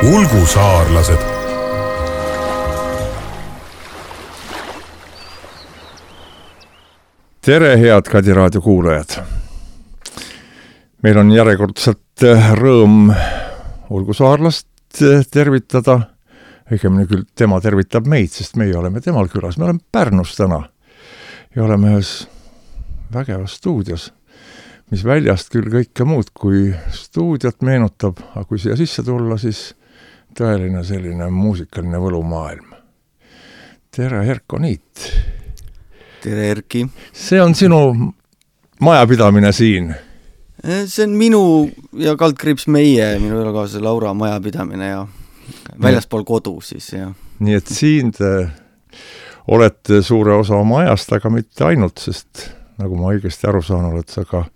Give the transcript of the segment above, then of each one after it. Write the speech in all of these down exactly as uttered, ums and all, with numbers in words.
Ulgusaarlased. Tere, head Kadi raadio kuulajad! Meil on järjekordselt rõõm Ulgusaarlast tervitada. Õigemini küll tema tervitab meid, sest meie oleme temal külas. Me oleme Pärnus täna ja oleme ühes vägevas stuudios, mis väljast küll kõike muud kui stuudiot meenutab, aga kui siia sisse tulla, siis tõeline selline muusikaline võlumaailm. Tere, Erko Niit! Tere, Erki! See on sinu majapidamine siin? See on minu ja kaldkriips meie, minu elukaaslase Laura majapidamine ja väljaspool kodu siis. Ja. Nii et siin te olete suure osa oma ajast, aga mitte ainult, sest nagu ma õigesti aru saan, oled sa ka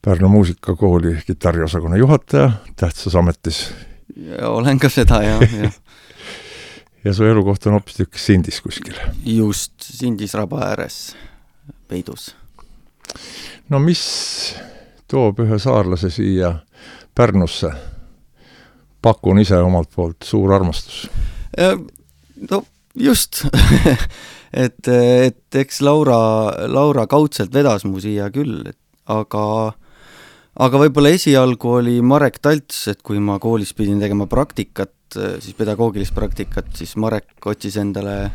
Pärnu muusikakooli kitarriosakonna juhataja tähtsas ametis. Ja olen ka seda, ja, ja. Ja su elukoht on hoopis tükk Sindis kuskil. Just, Sindis raba ääres peidus. No mis toob ühe saarlase siia Pärnusse? Pakun ise omalt poolt suur armastus. No just, et, et eks Laura, Laura kaudselt vedas mu siia küll, et, aga, aga võib-olla esialgu oli Marek Talts, et kui ma koolis pidin tegema praktikat, siis pedagoogilist praktikat, siis Marek otsis endale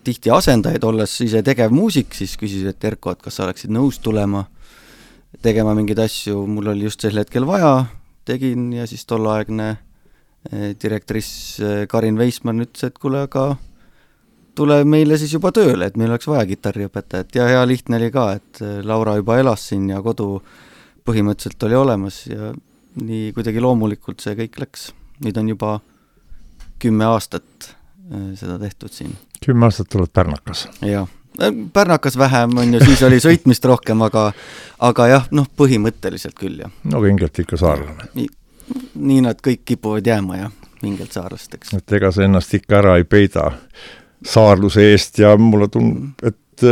tihti asendajaid, olles ise tegev muusik, siis küsis, et Erko, et kas sa oleksid nõus tulema tegema mingeid asju, mul oli just sel hetkel vaja, tegin ja siis tolleaegne direktoris Karin Veismann ütles, et kuule, aga tule meile siis juba tööle, et meil oleks vaja kitarriõpetajat ja hea lihtne oli ka, et Laura juba elas siin ja kodu põhimõtteliselt oli olemas ja nii kuidagi loomulikult see kõik läks. Nüüd on juba kümme aastat seda tehtud siin. Kümme aastat oled Pärnakas? Jah, Pärnakas vähem on ju, siis oli sõitmist rohkem, aga, aga jah, noh, põhimõtteliselt küll. Ja. No vingelt ikka saarlane. Nii, nii nad kõik kipuvad jääma ja vingelt saarlasteks. Et ega sa ennast ikka ära ei peida saarluse eest ja mulle tundub, et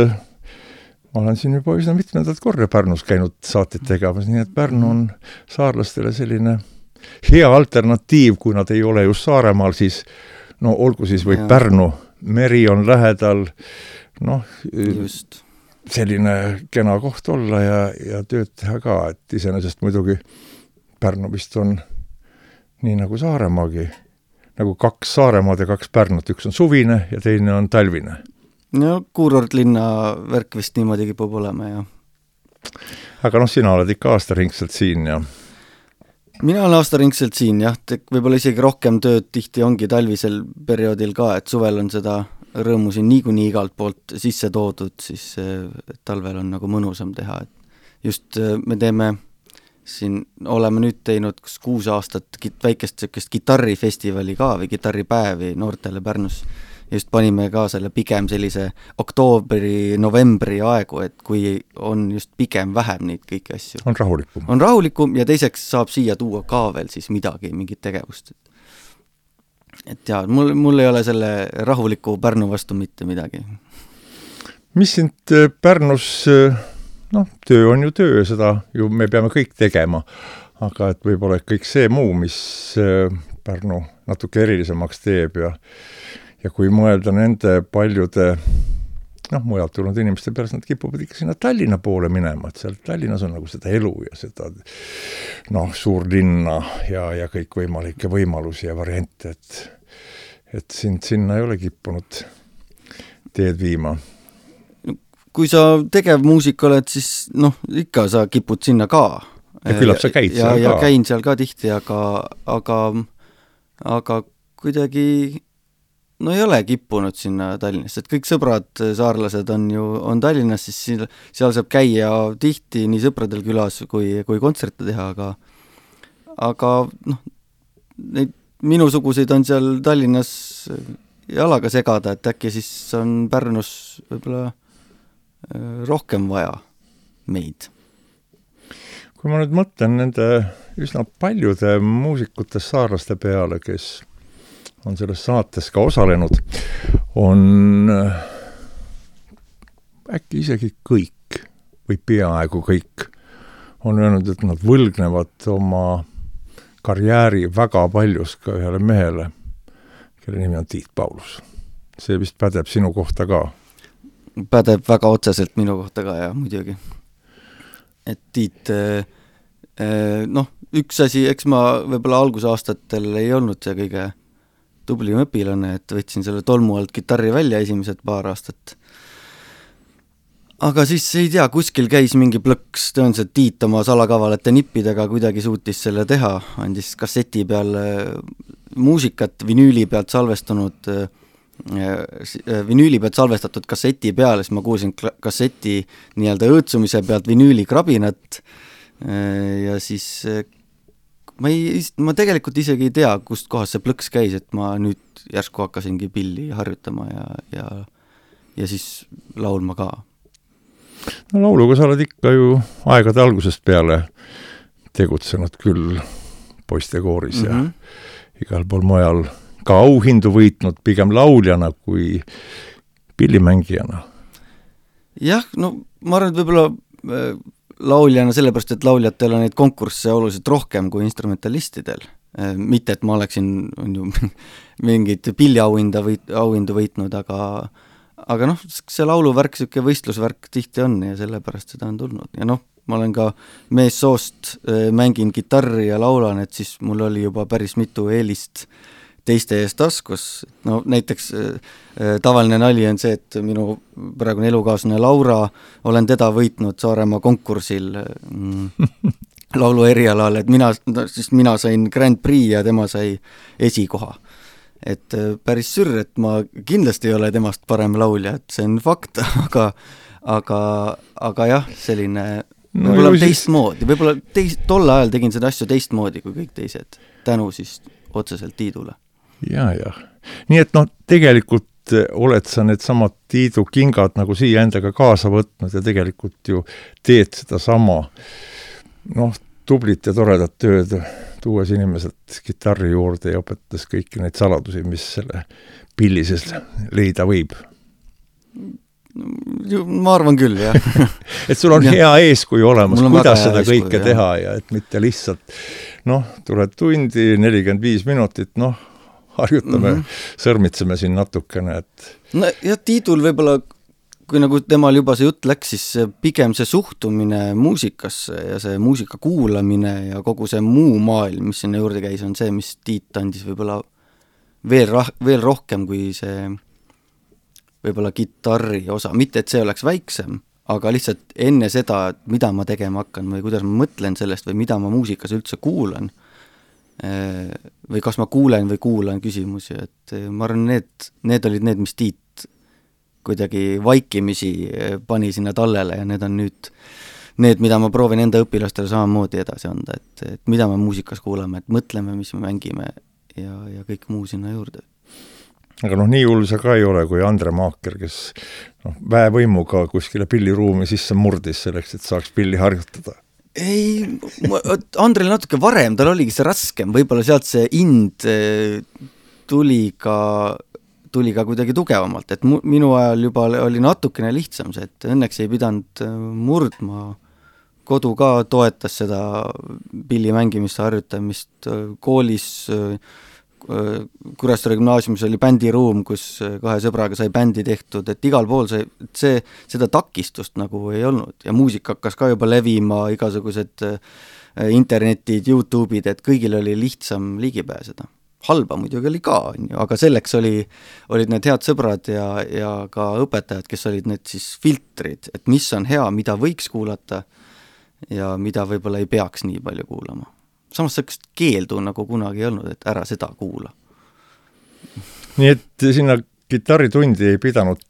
ma olen siin juba üsna mitmendat korda Pärnus käinud saateid tegemas, nii et Pärnu on saarlastele selline hea alternatiiv, kui nad ei ole just Saaremaal, siis no olgu siis või ja. Pärnu, meri on lähedal, noh, just. Selline kena koht olla ja, ja tööd teha ka, et iseenesest muidugi Pärnu vist on nii nagu Saaremaagi, nagu kaks Saaremaad ja kaks Pärnut, üks on suvine ja teine on talvine. No kuurortlinna värk vist niimoodi kipub olema, ja. Aga noh, sina oled ikka aastaringselt siin ja mina olen aastaringselt siin, jah, võib-olla isegi rohkem tööd tihti ongi talvisel perioodil ka, et suvel on seda rõõmu siin niikuinii igalt poolt sisse toodud, siis talvel on nagu mõnusam teha. Et just me teeme siin, oleme nüüd teinud kuus aastat väikest sellist kitarrifestivali ka või kitarripäevi noortele Pärnus. Just panime ka selle pigem sellise oktoobri, novembri aegu, et kui on just pigem vähem neid kõiki asju. On rahulikum. On rahulikum ja teiseks saab siia tuua ka veel siis midagi, mingit tegevust. Et jaa, mul, mul ei ole selle rahuliku Pärnu vastu mitte midagi. Mis sind Pärnus, noh, töö on ju töö, seda ju me peame kõik tegema, aga et võib-olla kõik see muu, mis Pärnu natuke erilisemaks teeb ja Ja kui mõelda nende paljude, noh, mujalt tulnud inimeste peale, nad kipuvad ikka sinna Tallinna poole minema, et seal Tallinnas on nagu seda elu ja seda, noh, suur linna ja, ja kõik võimalikke võimalusi ja variante, et, et sind sinna ei ole kippunud teed viima. Kui sa tegev muusik oled, siis noh, ikka sa kipud sinna ka. Ja küllap sa käid ja, seal ja ka. Ja käin seal ka tihti, aga, aga, aga kuidagi no ei ole kippunud sinna Tallinnast, et kõik sõbrad, saarlased on ju on Tallinnas, siis seal saab käia tihti nii sõpradel külas kui, kui kontserte teha, aga, aga noh, neid minusuguseid on seal Tallinnas jalaga segada, et äkki siis on Pärnus võib-olla rohkem vaja meid. Kui ma nüüd mõtlen nende üsna paljude muusikute saarlaste peale, kes on selles saates ka osalenud, on äkki isegi kõik või peaaegu kõik on öelnud, et nad võlgnevad oma karjääri väga paljus ka ühele mehele, kelle nimi on Tiit Paulus. See vist pädeb sinu kohta ka? Pädeb väga otseselt minu kohta ka, jah, muidugi. Et Tiit, noh, üks asi, eks ma võib-olla algusaastatel ei olnud see kõige tublim õpilane, et võtsin selle tolmu alt kitarri välja esimesed paar aastat. Aga siis ei tea, kuskil käis mingi plõks, tõenäoliselt Tiit oma salakavalate nippidega kuidagi suutis selle teha, andis kasseti peal muusikat vinüüli pealt salvestunud, vinüüli pealt salvestatud kasseti peal, siis ma kuulsin kasseti nii-öelda õõtsumise pealt vinüüli krabinat ja siis ma, ei, ma tegelikult isegi ei tea, kust kohas see plõks käis, et ma nüüd järsku hakkasingi pilli harjutama ja, ja, ja siis laulma ka. No lauluga sa oled ikka ju aegade algusest peale tegutsenud küll poistekooris mm -hmm. ja igal pool mujal ka auhindu võitnud pigem lauljana kui pillimängijana. Jah, no ma arvan, et võib-olla äh, lauljana sellepärast, et lauljatel on neid konkursse oluliselt rohkem kui instrumentalistidel. Äh, mitte, et ma oleksin on ju, mingit pilliauhinda võit, auhindu võitnud, aga aga noh, see lauluvärk, siuke võistlusvärk tihti on ja sellepärast seda on tulnud. Ja noh, ma olen ka meessoost äh, mängin kitarri ja laulan, et siis mul oli juba päris mitu eelist teiste eest taskus. No näiteks äh, tavaline nali on see, et minu praegune elukaaslane Laura, olen teda võitnud Saaremaa konkursil mm, laulu erialal, et mina, no, siis mina sain Grand Prix ja tema sai esikoha. Et päris sürr, et ma kindlasti ei ole temast parem laulja, et see on fakt, aga, aga, aga jah, selline no, võib-olla teistmoodi, siis... võib-olla teist, tolle ajal tegin seda asju teistmoodi kui kõik teised, tänu siis otseselt Tiidule. Ja, jah. Nii et noh, tegelikult oled sa need samad Tiidu kingad nagu siia endaga kaasa võtnud ja tegelikult ju teed seda sama noh, tublit ja toredat tööd, tuues inimesed kitarri juurde ja õpetas kõiki neid saladusi, mis selle pillises leida võib. Ma arvan küll, jah. et sul on ja. hea eeskuju olemas, kuidas seda eeskuju, kõike jah. teha ja et mitte lihtsalt, noh, tuled tundi, nelikümmend viis minutit, noh, harjutame, mm -hmm. sõrmitseme siin natukene, et... No ja Tiidul võib-olla, kui nagu temal juba see jutt läks, siis pigem see suhtumine muusikasse ja see muusika kuulamine ja kogu see muu maailm, mis sinna juurde käis, on see, mis Tiit andis võib-olla veel, rah- veel rohkem kui see võib-olla kitarri osa. Mitte, et see oleks väiksem, aga lihtsalt enne seda, mida ma tegema hakkan või kuidas ma mõtlen sellest või mida ma muusikas üldse kuulan või kas ma kuulen või kuulan küsimusi, et ma arvan, need, need olid need, mis Tiit kuidagi vaikimisi pani sinna tallele ja need on nüüd need, mida ma proovin enda õpilastele samamoodi edasi anda, et, et mida me muusikas kuulame, et mõtleme, mis me mängime ja, ja kõik muu sinna juurde. Aga noh, nii hull see ka ei ole, kui Andre Maaker, kes noh, väevõimuga kuskile pilliruumi sisse murdis selleks, et saaks pilli harjutada. Ei, Andrel natuke varem, tal oligi see raskem, võib-olla sealt see ind tuli ka tuli ka kuidagi tugevamalt, et mu, minu ajal juba oli natukene lihtsam see, et õnneks ei pidanud murdma, kodu ka toetas seda pilli mängimist, harjutamist, koolis Kuressaare gümnaasiumis oli bändiruum, kus kahe sõbraga sai bändi tehtud, et igal pool see, see, seda takistust nagu ei olnud ja muusika hakkas ka juba levima, igasugused internetid, YouTube'id, et kõigil oli lihtsam ligi pääseda. Halba muidugi oli ka, aga selleks oli, olid need head sõbrad ja, ja ka õpetajad, kes olid need siis filtrid, et mis on hea, mida võiks kuulata ja mida võib-olla ei peaks nii palju kuulama. Samas selleks keeldu nagu kunagi ei olnud, et ära seda kuula. Nii et sinna kitarritundi ei pidanud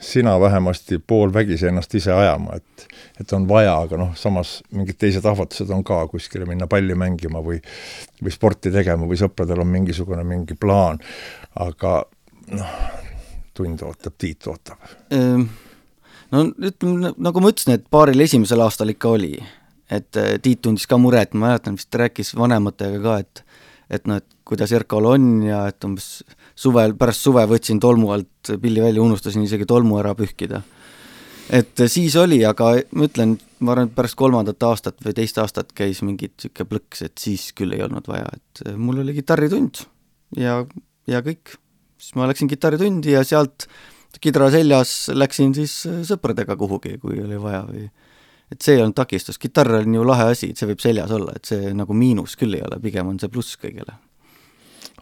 sina vähemasti pool vägisi ennast ise ajama, et, et on vaja, aga noh, samas mingid teised ahvatused on ka kuskile minna palli mängima või, või sporti tegema või sõpradel on mingisugune mingi plaan, aga noh, tund ootab, Tiit ootab. No ütleme, nagu ma ütlesin, et paaril esimesel aastal ikka oli, et Tiit tundis ka mure, et ma mäletan, vist rääkis vanematega ka, et et noh, et kuidas Erkol on ja et umbes suvel, pärast suve võtsin tolmu alt pilli välja, unustasin isegi tolmu ära pühkida. Et siis oli, aga ma ütlen, ma arvan, et pärast kolmandat aastat või teist aastat käis mingit siuke plõks, et siis küll ei olnud vaja, et mul oli kitarritund ja, ja kõik. Siis ma läksin kitarritundi ja sealt kidra seljas läksin siis sõpradega kuhugi, kui oli vaja või et see ei olnud takistus. Kitarr on ju lahe asi, et see võib seljas olla, et see nagu miinus küll ei ole, pigem on see pluss kõigele.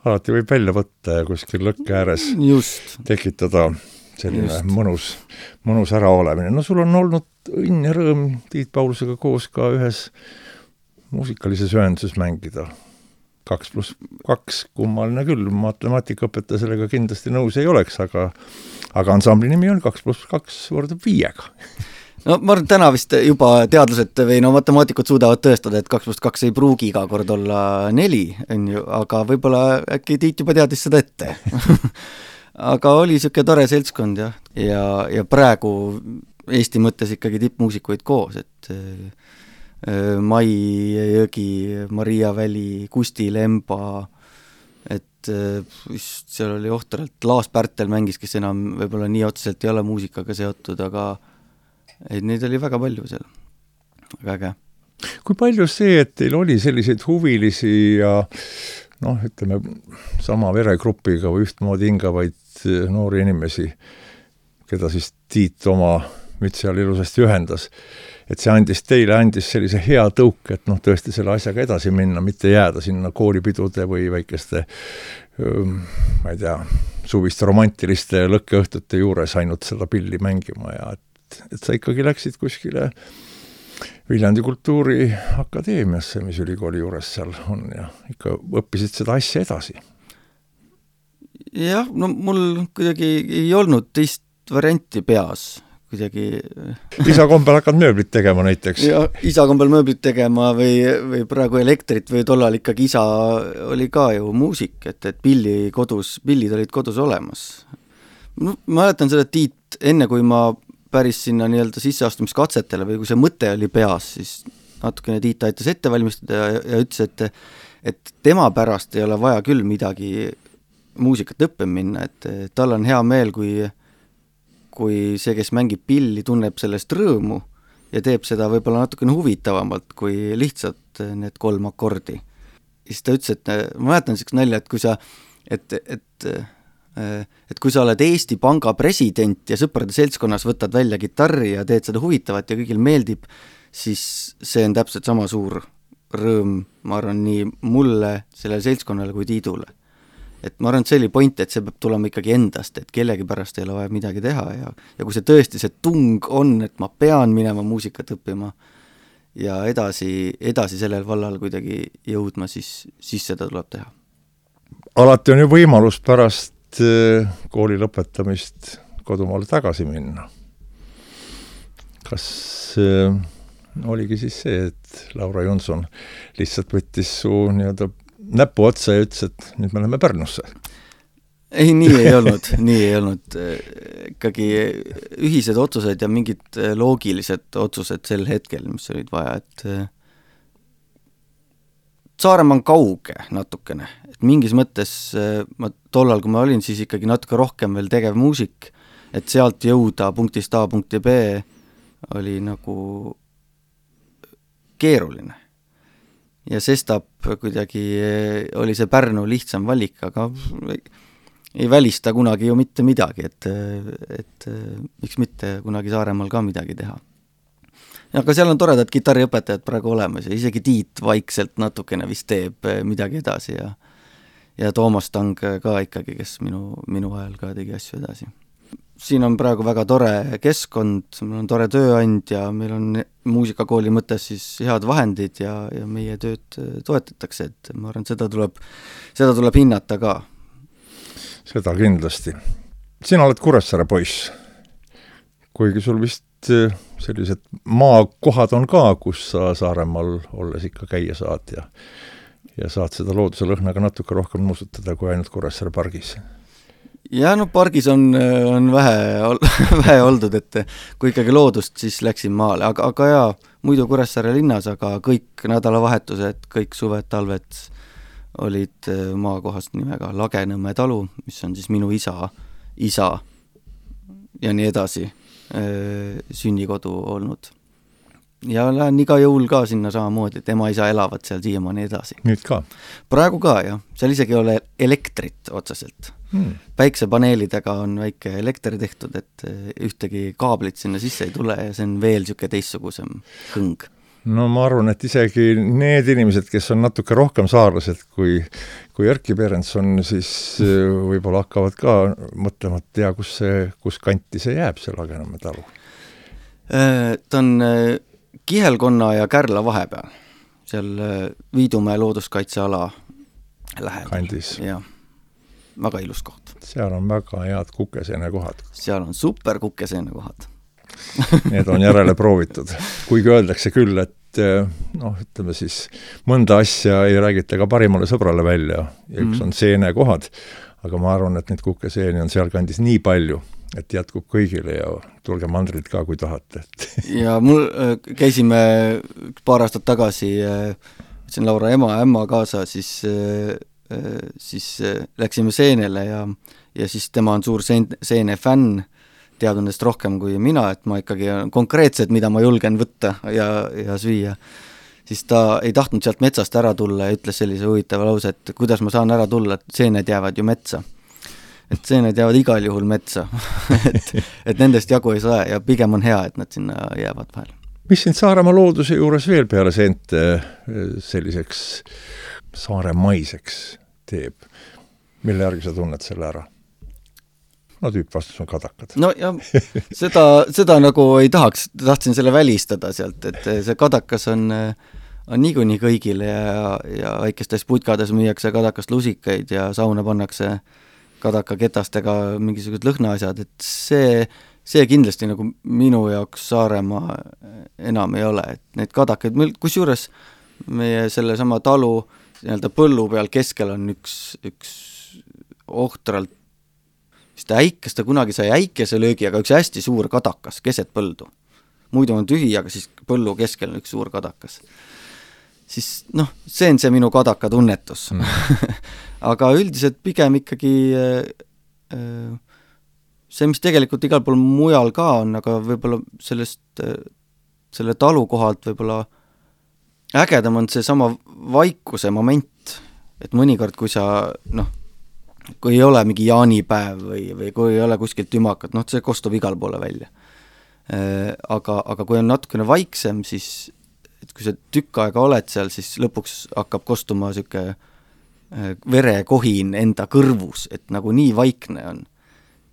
Alati võib välja võtta ja kuskil lõkke ääres Just. tekitada selline Just. mõnus, mõnus ära olemine. No sul on olnud õnn ja rõõm Tiit Paulusega koos ka ühes muusikalises ühenduses mängida. Kaks pluss kaks, kummaline küll, matemaatikaõpetaja sellega kindlasti nõus ei oleks, aga, aga ansambli nimi on kaks pluss kaks võrdub viiega. No ma arvan, täna vist juba teadlased või no matemaatikud suudavad tõestada, et kaks pluss kaks ei pruugi iga kord olla neli, on ju, aga võib-olla äkki Tiit juba teadis seda ette. Aga oli siuke tore seltskond ja, ja, ja praegu Eesti mõttes ikkagi tippmuusikuid koos, et Mai Jõgi, Maria Väli, Kusti Lemba, et just seal oli ohtralt, Laas Pärtel mängis, kes enam võib-olla nii otseselt ei ole muusikaga seotud, aga et neid oli väga palju seal, väga äge. Kui palju see, et teil oli selliseid huvilisi ja noh, ütleme, sama veregrupiga või ühtmoodi hingavaid noori inimesi, keda siis Tiit oma mütsi all ilusasti ühendas, et see andis teile, andis sellise hea tõuk, et noh, tõesti selle asjaga edasi minna, mitte jääda sinna koolipidude või väikeste, ma ei tea, suviste romantiliste lõkkeõhtute juures ainult seda pilli mängima ja et, et sa ikkagi läksid kuskile Viljandi Kultuuriakadeemiasse, mis ülikooli juures seal on ja ikka õppisid seda asja edasi. Jah, no mul kuidagi ei olnud teist varianti peas. Kuidagi... isa kombel hakkad mööblit tegema näiteks. Ja isa kombel mööblit tegema või, või praegu elektrit või tollal ikkagi isa oli ka ju muusik, et, et pilli kodus, pillid olid kodus olemas. No, ma mäletan seda Tiit, enne kui ma päris sinna nii-öelda sisseastumiskatsetele või kui see mõte oli peas, siis natukene Tiit aitas ette valmistada ja, ja ütles, et, et tema pärast ei ole vaja küll midagi muusikat õppima minna, et tal on hea meel, kui kui see, kes mängib pilli, tunneb sellest rõõmu ja teeb seda võib-olla natukene huvitavamalt kui lihtsalt need kolm akordi. Ja siis ta ütles, et ma mäletan selleks nalja, et kui sa, et, et, et kui sa oled Eesti Panga president ja sõprade seltskonnas võtad välja kitarri ja teed seda huvitavat ja kõigil meeldib, siis see on täpselt sama suur rõõm, ma arvan, nii mulle, sellele seltskonnale kui Tiidule. Et ma arvan, et see oli point, et see peab tulema ikkagi endast, et kellegi pärast ei ole vaja midagi teha ja, ja kui see tõesti see tung on, et ma pean minema muusikat õppima ja edasi, edasi sellel vallal kuidagi jõudma, siis, siis seda tuleb teha. Alati on ju võimalus pärast kooli lõpetamist kodumaale tagasi minna. Kas äh, oligi siis see, et Laura Jonson lihtsalt võttis su nii-öelda näpu otsa ja ütles, et nüüd me läheme Pärnusse. Ei, nii ei olnud, nii ei olnud. Ikkagi ühised otsused ja mingid loogilised otsused sel hetkel, mis olid vaja, et Saaremaa on kauge natukene. Et mingis mõttes ma tollal, kui ma olin, siis ikkagi natuke rohkem veel tegev muusik, et sealt jõuda punktist A punkti B oli nagu keeruline. Ja sestap kuidagi oli see Pärnu lihtsam valik, aga ei välista kunagi ju mitte midagi, et, et miks mitte kunagi Saaremaal ka midagi teha. Aga seal on toredad kitarriõpetajad praegu olemas ja isegi Tiit vaikselt natukene vist teeb midagi edasi ja, ja Toomas Tang ka ikkagi, kes minu, minu ajal ka tegi asju edasi. Siin on praegu väga tore keskkond, meil on tore tööandja, meil on muusikakooli mõttes siis head vahendid ja, ja meie tööd toetatakse, et ma arvan, seda tuleb, seda tuleb hinnata ka. Seda kindlasti. Sina oled Kuressaare poiss, kuigi sul vist sellised maakohad on ka, kus sa Saaremaal olles ikka käia saad ja, ja saad seda looduse lõhnaga natuke rohkem nuusutada kui ainult Kuressaare pargis. Ja no pargis on, on vähe, vähe oldud, et kui ikkagi loodust, siis läksin maale, aga, aga jaa, muidu Kuressaare linnas, aga kõik nädalavahetused, kõik suved, talved olid maakohast nimega Lagenõmme talu, mis on siis minu isa, isa ja nii edasi sünnikodu olnud. ja lähen iga jõul ka sinna samamoodi, et ema isa elavad seal siiamaani edasi. Nüüd ka? Praegu ka, jah. Seal isegi ei ole elektrit otseselt. Hmm. Päiksepaneelidega on väike elekter tehtud, et ühtegi kaablit sinna sisse ei tule ja see on veel siuke teistsugusem hõng. No ma arvan, et isegi need inimesed, kes on natuke rohkem saarlased kui, kui Erki Berenson, siis võib-olla hakkavad ka mõtlema, et tea, kus, see, kus kanti see jääb, see Lagenamme talu. Ta on Kihelkonna ja Kärla vahepeal, seal Viidumäe looduskaitseala lähedal. Kandis. Jah, väga ilus koht. Seal on väga head kukeseene kohad. Seal on super kukeseene kohad. Need on järele proovitud. Kuigi öeldakse küll, et noh, ütleme siis, mõnda asja ei räägita ka parimale sõbrale välja ja üks on seene kohad, aga ma arvan, et neid kukeseeni on seal kandis nii palju, et jätkub kõigile ja tulge mandrid ka, kui tahate. Ja mul käisime paar aastat tagasi, võtsin Laura ema ja ämma kaasa, siis, siis läksime seenele ja, ja siis tema on suur seene, seene fänn, teadun nendest rohkem kui mina, et ma ikkagi konkreetselt, mida ma julgen võtta ja, ja süüa, siis ta ei tahtnud sealt metsast ära tulla ja ütles sellise huvitava lause, et kuidas ma saan ära tulla, et seened jäävad ju metsa. Et seened jäävad igal juhul metsa, et, et nendest jagu ei saa ja pigem on hea, et nad sinna jäävad vahel. Mis sind Saaremaa looduse juures veel peale seente selliseks saaremaiseks teeb? Mille järgi sa tunned selle ära? No tüüp vastus on kadakad. No ja seda, seda nagu ei tahaks, tahtsin selle välistada sealt, et see kadakas on, on niikuinii kõigile ja, ja väikestes putkades müüakse kadakast lusikaid ja sauna pannakse kadaka ketastega mingisugused lõhnaasjad, et see, see kindlasti nagu minu jaoks Saaremaa enam ei ole, et need kadakaid, kus juures meie selle sama talu nii-öelda põllu peal keskel on üks, üks ohtralt vist äikes, ta kunagi sai äikese löögi, aga üks hästi suur kadakas keset põldu. Muidu on tühi, aga siis põllu keskel on üks suur kadakas. Siis noh, see on see minu kadaka tunnetus. Mm. Aga üldiselt pigem ikkagi see, mis tegelikult igal pool mujal ka on, aga võib-olla sellest, selle talu kohalt võib-olla ägedam on see sama vaikuse moment, et mõnikord, kui sa noh, kui ei ole mingi jaanipäev või, või kui ei ole kuskilt tümakat, noh, see kostub igal poole välja. Aga, aga kui on natukene vaiksem, siis et kui sa tükk aega oled seal, siis lõpuks hakkab kostuma siuke verekohin enda kõrvus, et nagu nii vaikne on.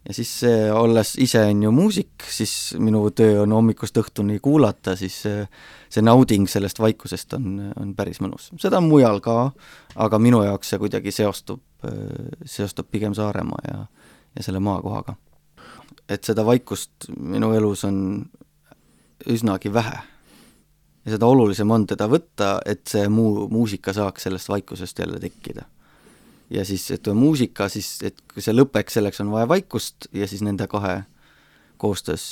Ja siis see, olles ise on ju muusik, siis minu töö on hommikust õhtuni kuulata, siis see, see nauding sellest vaikusest on, on päris mõnus. Seda on mujal ka, aga minu jaoks see kuidagi seostub, seostub pigem Saaremaa ja, ja selle maakohaga. Et seda vaikust minu elus on üsnagi vähe. Ja seda olulisem on teda võtta, et see muu muusika saaks sellest vaikusest jälle tekkida. Ja siis, et muusika, siis, et kui see lõpeks, selleks on vaja vaikust ja siis nende kahe koostöös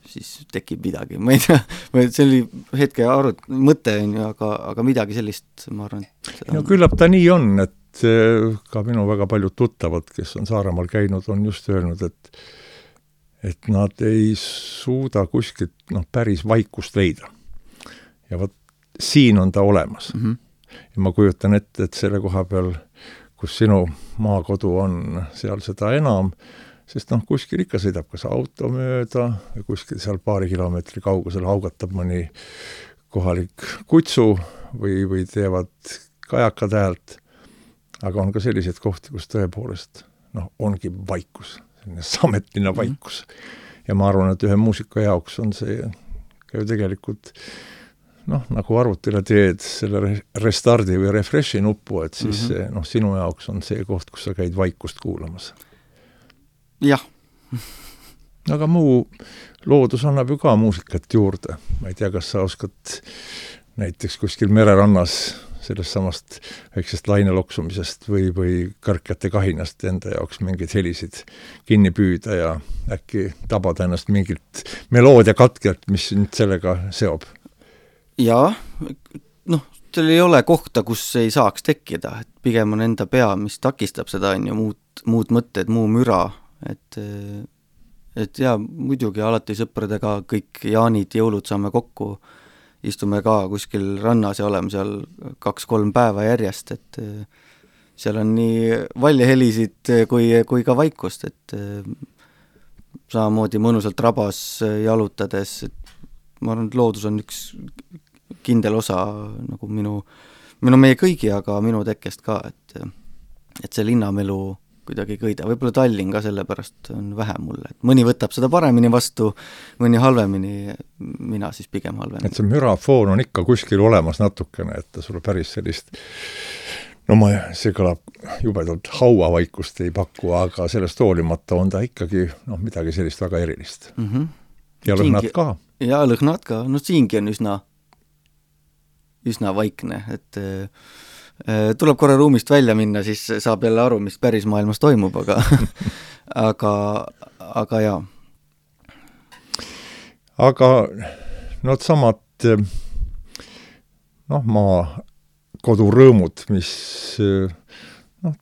siis tekib midagi. Ma ei tea, see oli hetke arut, mõte on ju, aga, aga midagi sellist, ma arvan. No küllap ta nii on, et ka minu väga paljud tuttavad, kes on Saaremaal käinud, on just öelnud, et, et nad ei suuda kuskilt noh, päris vaikust leida. Ja võt, siin on ta olemas. Mm-hmm. Ja ma kujutan ette, et selle koha peal kus sinu maakodu on, seal seda enam, sest noh, kuskil ikka sõidab kas auto mööda ja kuskil seal paari kilomeetri kaugusel haugatab mõni kohalik kutsu või, või teevad kajakad häält, aga on ka selliseid kohti, kus tõepoolest noh, ongi vaikus, selline sametline vaikus. Ja ma arvan, et ühe muusika jaoks on see ka ju tegelikult noh, nagu arvutile teed selle restardi või refreshi nuppu, et siis mm-hmm. noh, sinu jaoks on see koht, kus sa käid vaikust kuulamas. Jah. Aga muu loodus annab ju ka muusikat juurde. Ma ei tea, kas sa oskad näiteks kuskil mererannas sellest samast väiksest laineloksumisest või, või kõrkete kahinast enda jaoks mingeid helisid kinni püüda ja äkki tabada ennast mingilt meloodia katkelt, mis nüüd sellega seob. Jaa, noh, teil ei ole kohta, kus ei saaks tekkida, et pigem on enda pea, mis takistab seda, on ju muud, muud mõtted, muu müra, et, et jaa, muidugi alati sõpradega kõik jaanid, jõulud saame kokku istume ka kuskil rannas ja oleme seal kaks-kolm päeva järjest, et seal on nii valjahelisid kui, kui ka vaikust, et samamoodi mõnusalt rabas jalutades, et ma arvan, et loodus on üks kindel osa nagu minu, minu meie kõigi, aga minu tekkest ka, et, et see linnamelu kuidagi kõida, võib-olla Tallinn ka sellepärast on vähe mulle, et mõni võtab seda paremini vastu, mõni halvemini, mina siis pigem halvemini. Et see mürafoon on ikka kuskil olemas natukene, et ta sulle päris sellist, no ma, see kõlab jubedalt hauavaikust ei paku, aga sellest hoolimata on ta ikkagi noh, midagi sellist väga erilist. Mm-hmm. Ja lõhnad ka. Ja lõhnad ka, no siingi on üsna, üsna vaikne, et tuleb korra ruumist välja minna, siis saab jälle aru, mis päris maailmas toimub, aga aga, aga jaa. Aga no samad noh, maa kodurõõmud, mis noh,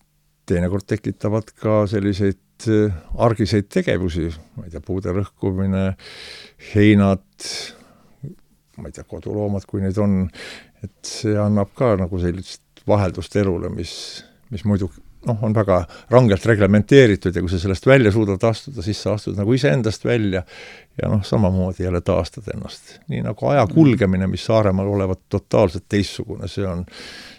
teinekord tekitavad ka selliseid argiseid tegevusi, ma ei tea, puude lõhkumine, heinad, ma ei tea, koduloomad, kui neid on, et see annab ka nagu sellist vaheldust elule, mis, mis muidu noh, on väga rangelt reglementeeritud ja kui sa sellest välja suudad astuda, siis sa astud nagu iseendast välja ja noh, samamoodi jälle taastad ennast. Nii nagu aja kulgemine, mis Saaremaal olevat totaalselt teissugune, see on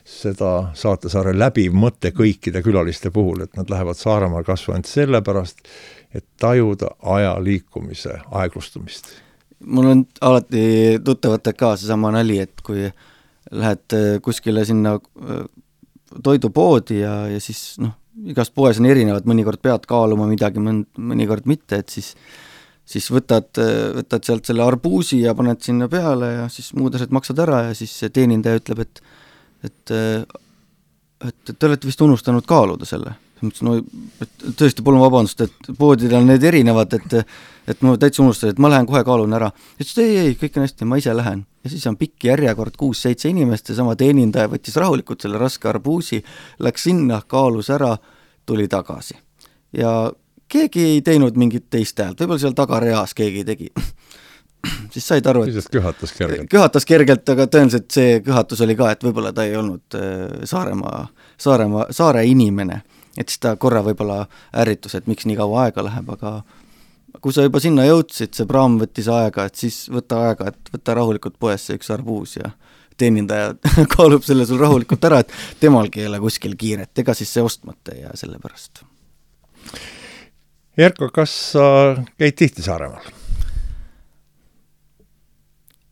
seda Saatsaare läbiv mõte kõikide külaliste puhul, et nad lähevad Saaremaal kasvu ainult sellepärast, et tajuda aja liikumise aeglustumist. Mul on alati tuttavate ka seesama nali, et kui lähed kuskile sinna toidupoodi ja, ja siis noh, igast poes on erinevad, mõnikord pead kaaluma midagi, mõnikord mitte, et siis, siis võtad, võtad sealt selle arbuusi ja paned sinna peale ja siis muud asjad maksad ära ja siis teenindaja ütleb, et et, et te olete vist unustanud kaaluda selle. No, et tõesti, palun vabandust, et poodidel on need erinevad, et, et ma täitsa unustasin, et ma lähen kohe kaalun ära. Et ei, ei, kõik on hästi, ma ise lähen. Ja siis on pikk järjekord kuus-seitse inimest ja sama teenindaja võttis rahulikult selle raske arbuusi, läks sinna, kaalus ära, tuli tagasi. Ja keegi ei teinud mingit teist häält, võib-olla seal tagareas keegi tegi. Siis said aru, et siis köhatas kergelt. Köhatas kergelt, aga tõenäoliselt see köhatus oli ka, et võib-olla ta ei olnud Saaremaa, Saaremaa, saare inimene. Et siis ta korra võib-olla ärritus, et miks nii kaua aega läheb, aga kui sa juba sinna jõudsid, see praam võttis aega, et siis võta aega, et võta rahulikult poesse üks arbuus ja teenindaja kaalub selle sul rahulikult ära, et temalgi ei ole kuskil kiiret, ega siis see ostmata ja selle pärast. Jerko, kas sa käid tihti Saaremaal?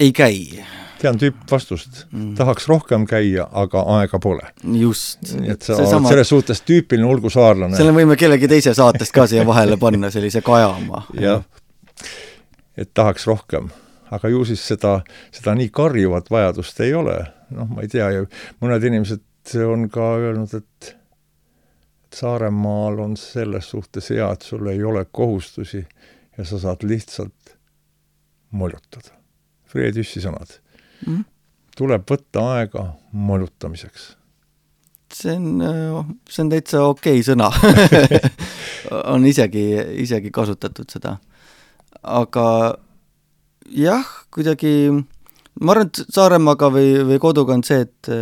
Ei käi. Tean tüüp vastust. Mm. Tahaks rohkem käia, aga aega pole. Just. Et sa oled sama... selles suhtes tüüpiline ulgu saarlane. Selle võime kellegi teise saatest ka siia vahele panna, sellise kajama. Ja, et tahaks rohkem. Aga ju siis seda, seda nii karjuvat vajadust ei ole. Noh, ma ei tea, mõned inimesed on ka öelnud, et Saaremaal on selles suhtes hea, et sul ei ole kohustusi ja sa saad lihtsalt molutada. Fred Jüssi sõnad. Mm. Tuleb võtta aega molutamiseks. See on, see on täitsa okei sõna. On isegi, isegi kasutatud seda. Aga jah, kuidagi, ma arvan, et Saaremaaga või, või koduga on see, et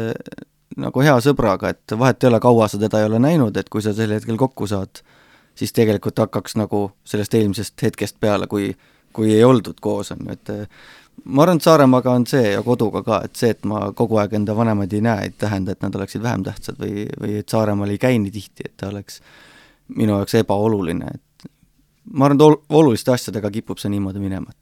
nagu hea sõbraga, et vahet ei ole kaua sa teda ei ole näinud, et kui sa sel hetkel kokku saad, siis tegelikult hakkaks nagu sellest eelmisest hetkest peale, kui, kui ei oldud koos on, et ma arvan, et Saaremaaga on see ja koduga ka, et see, et ma kogu aeg enda vanemaid ei näe, ei tähenda, et nad oleksid vähem tähtsad või, või et Saaremaal ei käi nii tihti, et ta oleks minu jaoks ebaoluline. Et ma arvan, et oluliste asjadega kipub see niimoodi minema.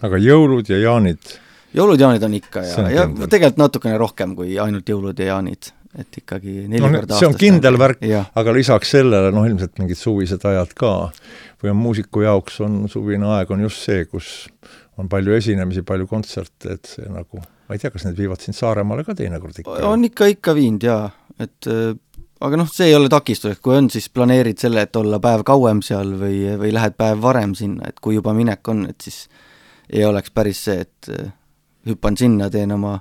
Aga jõulud ja jaanid? Jõulud ja jaanid on ikka ja, ja tegelikult natukene rohkem kui ainult jõulud ja jaanid. Et ikkagi neli no, korda see on kindel värk, ja. Aga lisaks sellele, noh ilmselt mingid suvised ajad ka või on muusiku jaoks on suvine aeg on just see, kus on palju esinemisi, palju kontserte, et see nagu, ma ei tea, kas need viivad siin Saaremaale ka teinekord ikka? On ikka, ikka viind, jaa. Et, aga noh, see ei ole takistus, et kui on, siis planeerid selle, et olla päev kauem seal või, või lähed päev varem sinna, et kui juba minek on, et siis ei oleks päris see, et hüppan sinna, teen oma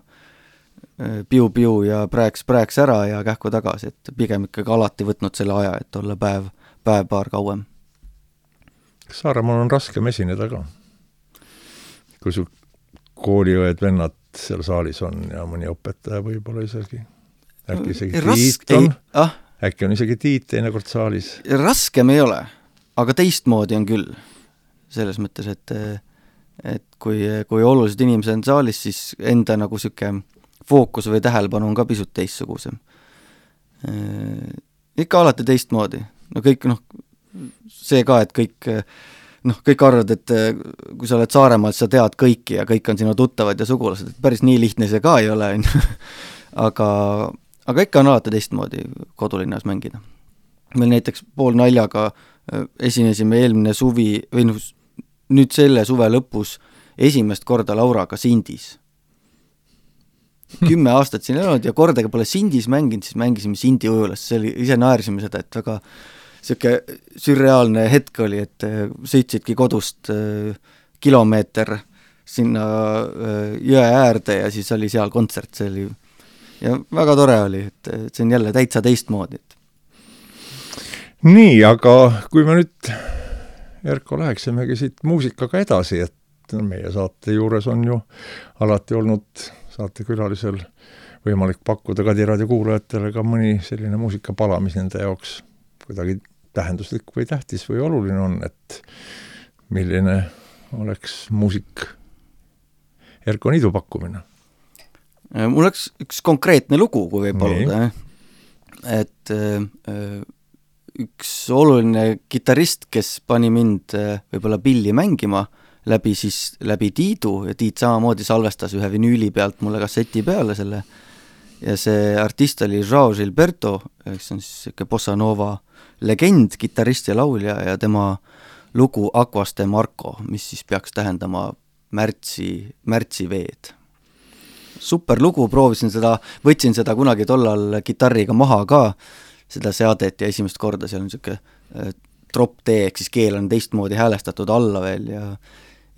piu-piu ja prääks-prääks ära ja kähku tagasi, et pigem ikkagi alati võtnud selle aja, et olla päev, päev-paar kauem. Saaremaal on raskem esineda ka? Kui su kooliõed, vennad seal saalis on ja mõni õpetaja võib-olla isegi. Äkki isegi Rask... Tiit on, ah. äkki on isegi Tiit teinekord saalis. Raskem ei ole, aga teistmoodi on küll. Selles mõttes, et, et kui, kui olulised inimesed on saalis, siis enda nagu süke fookus või tähelepanu on ka pisut teistsugusem. Ikka alati teistmoodi. No kõik, noh, see ka, et kõik noh, kõik arvad, et kui sa oled Saaremaal, sa tead kõiki ja kõik on sinu tuttavad ja sugulased, et päris nii lihtne see ka ei ole, aga, aga ikka on alati teistmoodi kodulinnas mängida. Meil näiteks pool naljaga esinesime eelmine suvi, või nüüd selle suve lõpus esimest korda Lauraga Sindis. Kümme aastat siin olnud ja kordagi pole Sindis mänginud, siis mängisime Sindi ujulas, see oli, ise naersime seda, et väga siuke sürreaalne hetk oli, et sõitsidki kodust kilomeeter sinna jõe äärde ja siis oli seal kontsert, see oli ja väga tore oli, et see on jälle täitsa teistmoodi. Nii, aga kui me nüüd Erko läheksimegi siit muusikaga edasi, et meie saate juures on ju alati olnud saatekülalisel võimalik pakkuda Kadiraadio kuulajatele ka mõni selline muusikapala, mis nende jaoks kuidagi tähenduslik või tähtis või oluline on, et milline oleks muusik Erko Niidu pakkumine? Mul oleks üks konkreetne lugu, kui võib paluda. Et üks oluline kitarrist, kes pani mind võib-olla pilli mängima läbi, siis, läbi Tiidu ja Tiit samamoodi salvestas ühe vinüüli pealt mulle kasseti peale selle ja see artist oli João Gilberto, kes on siis siuke bossa nova legend, kitarrist ja laulja ja tema lugu Aquas de Marco, mis siis peaks tähendama märtsi, märtsi veed. Super lugu, proovisin seda, võtsin seda kunagi tollal kitarriga maha ka, seda seadet ja esimest korda seal on siuke drop D, ehk siis keel on teistmoodi häälestatud alla veel ja,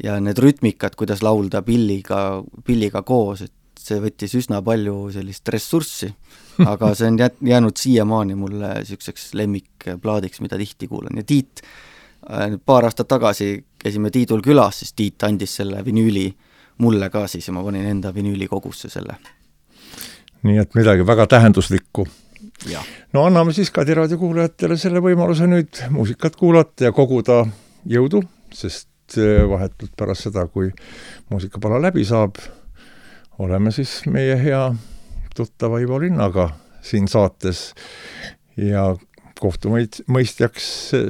ja need rütmikad, kuidas laulda pilliga, pilliga koos, et see võttis üsna palju sellist ressurssi, aga see on jäänud siiamaani mulle siukseks lemmikplaadiks, mida tihti kuulan. Ja Tiit, paar aastat tagasi käisime Tiidul külas, siis Tiit andis selle vinüüli mulle ka siis ja ma panin enda vinüüli kogusse selle. Nii et midagi väga tähenduslikku. Ja. No anname siis Kadiraadio kuulajatele selle võimaluse nüüd muusikat kuulata ja koguda jõudu, sest vahetult pärast seda, kui muusikapala läbi saab, oleme siis meie hea tuttava Ivo Linnaga siin saates ja kohtumõistjaks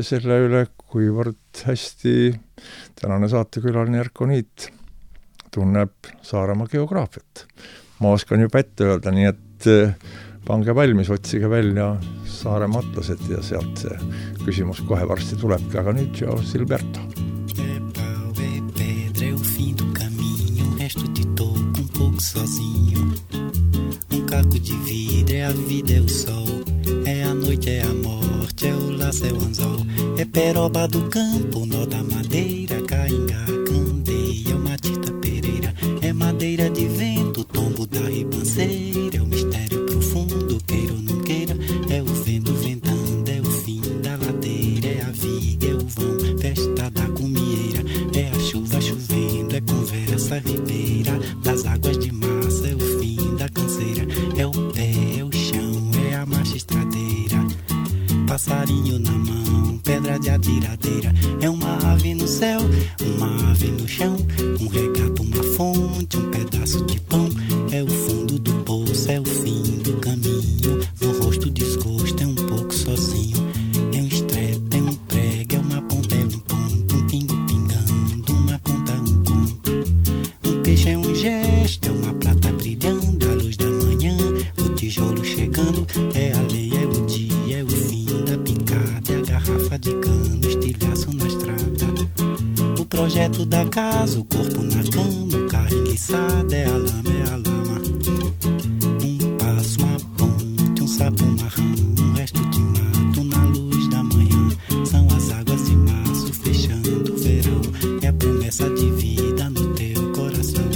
selle üle, kuivõrd hästi tänane saatekülaline Erko Niit tunneb Saaremaa geograafiat. Ma oskan juba ette öelda, nii et pange valmis, otsige välja Saaremaa atlased ja sealt see küsimus kohe varsti tulebki, aga nüüd João Gilberto. Sozinho, um caco de vidro, é a vida, é o sol, é a noite, é a morte, é o laço, é o anzol, é peroba do campo, nó da madeira, cainga, candeia, matita pereira, é madeira de vento, tombo da ribanceira, é o mistério profundo, queira ou não queira, é o vento ventando, é o fim da ladeira, é a viga, é o vão, festa da cumieira, é a chuva chovendo, é conversa ribeira, das águas de massa, é o fim da canseira, é o pé, é o chão, é a marcha estradeira, passarinho na mão, pedra de atiradeira, é uma ave no céu, uma ave no chão, um regato, uma fonte, um pedaço de pão, é o fundo do poço, é o fim do caminho, no rosto desgosto, é um pouco sozinho, é um estrepe, é um prego, é uma ponta, é um ponto, um pingo pingando, uma conta, um conto, um peixe é um gesto, é uma prata brilhando, a luz da manhã, o tijolo chegando, é a lei, é o dia, é o fim da picada, é a garrafa de cano, estilhaço na estrada, o projeto da casa, o corpo na cama, o carro enguiçado, é a lama, é a lama, um passo, uma ponte, um sapo, uma rã, um resto de mato na luz da manhã, são as águas de março fechando o verão, é a promessa de vida no teu coração,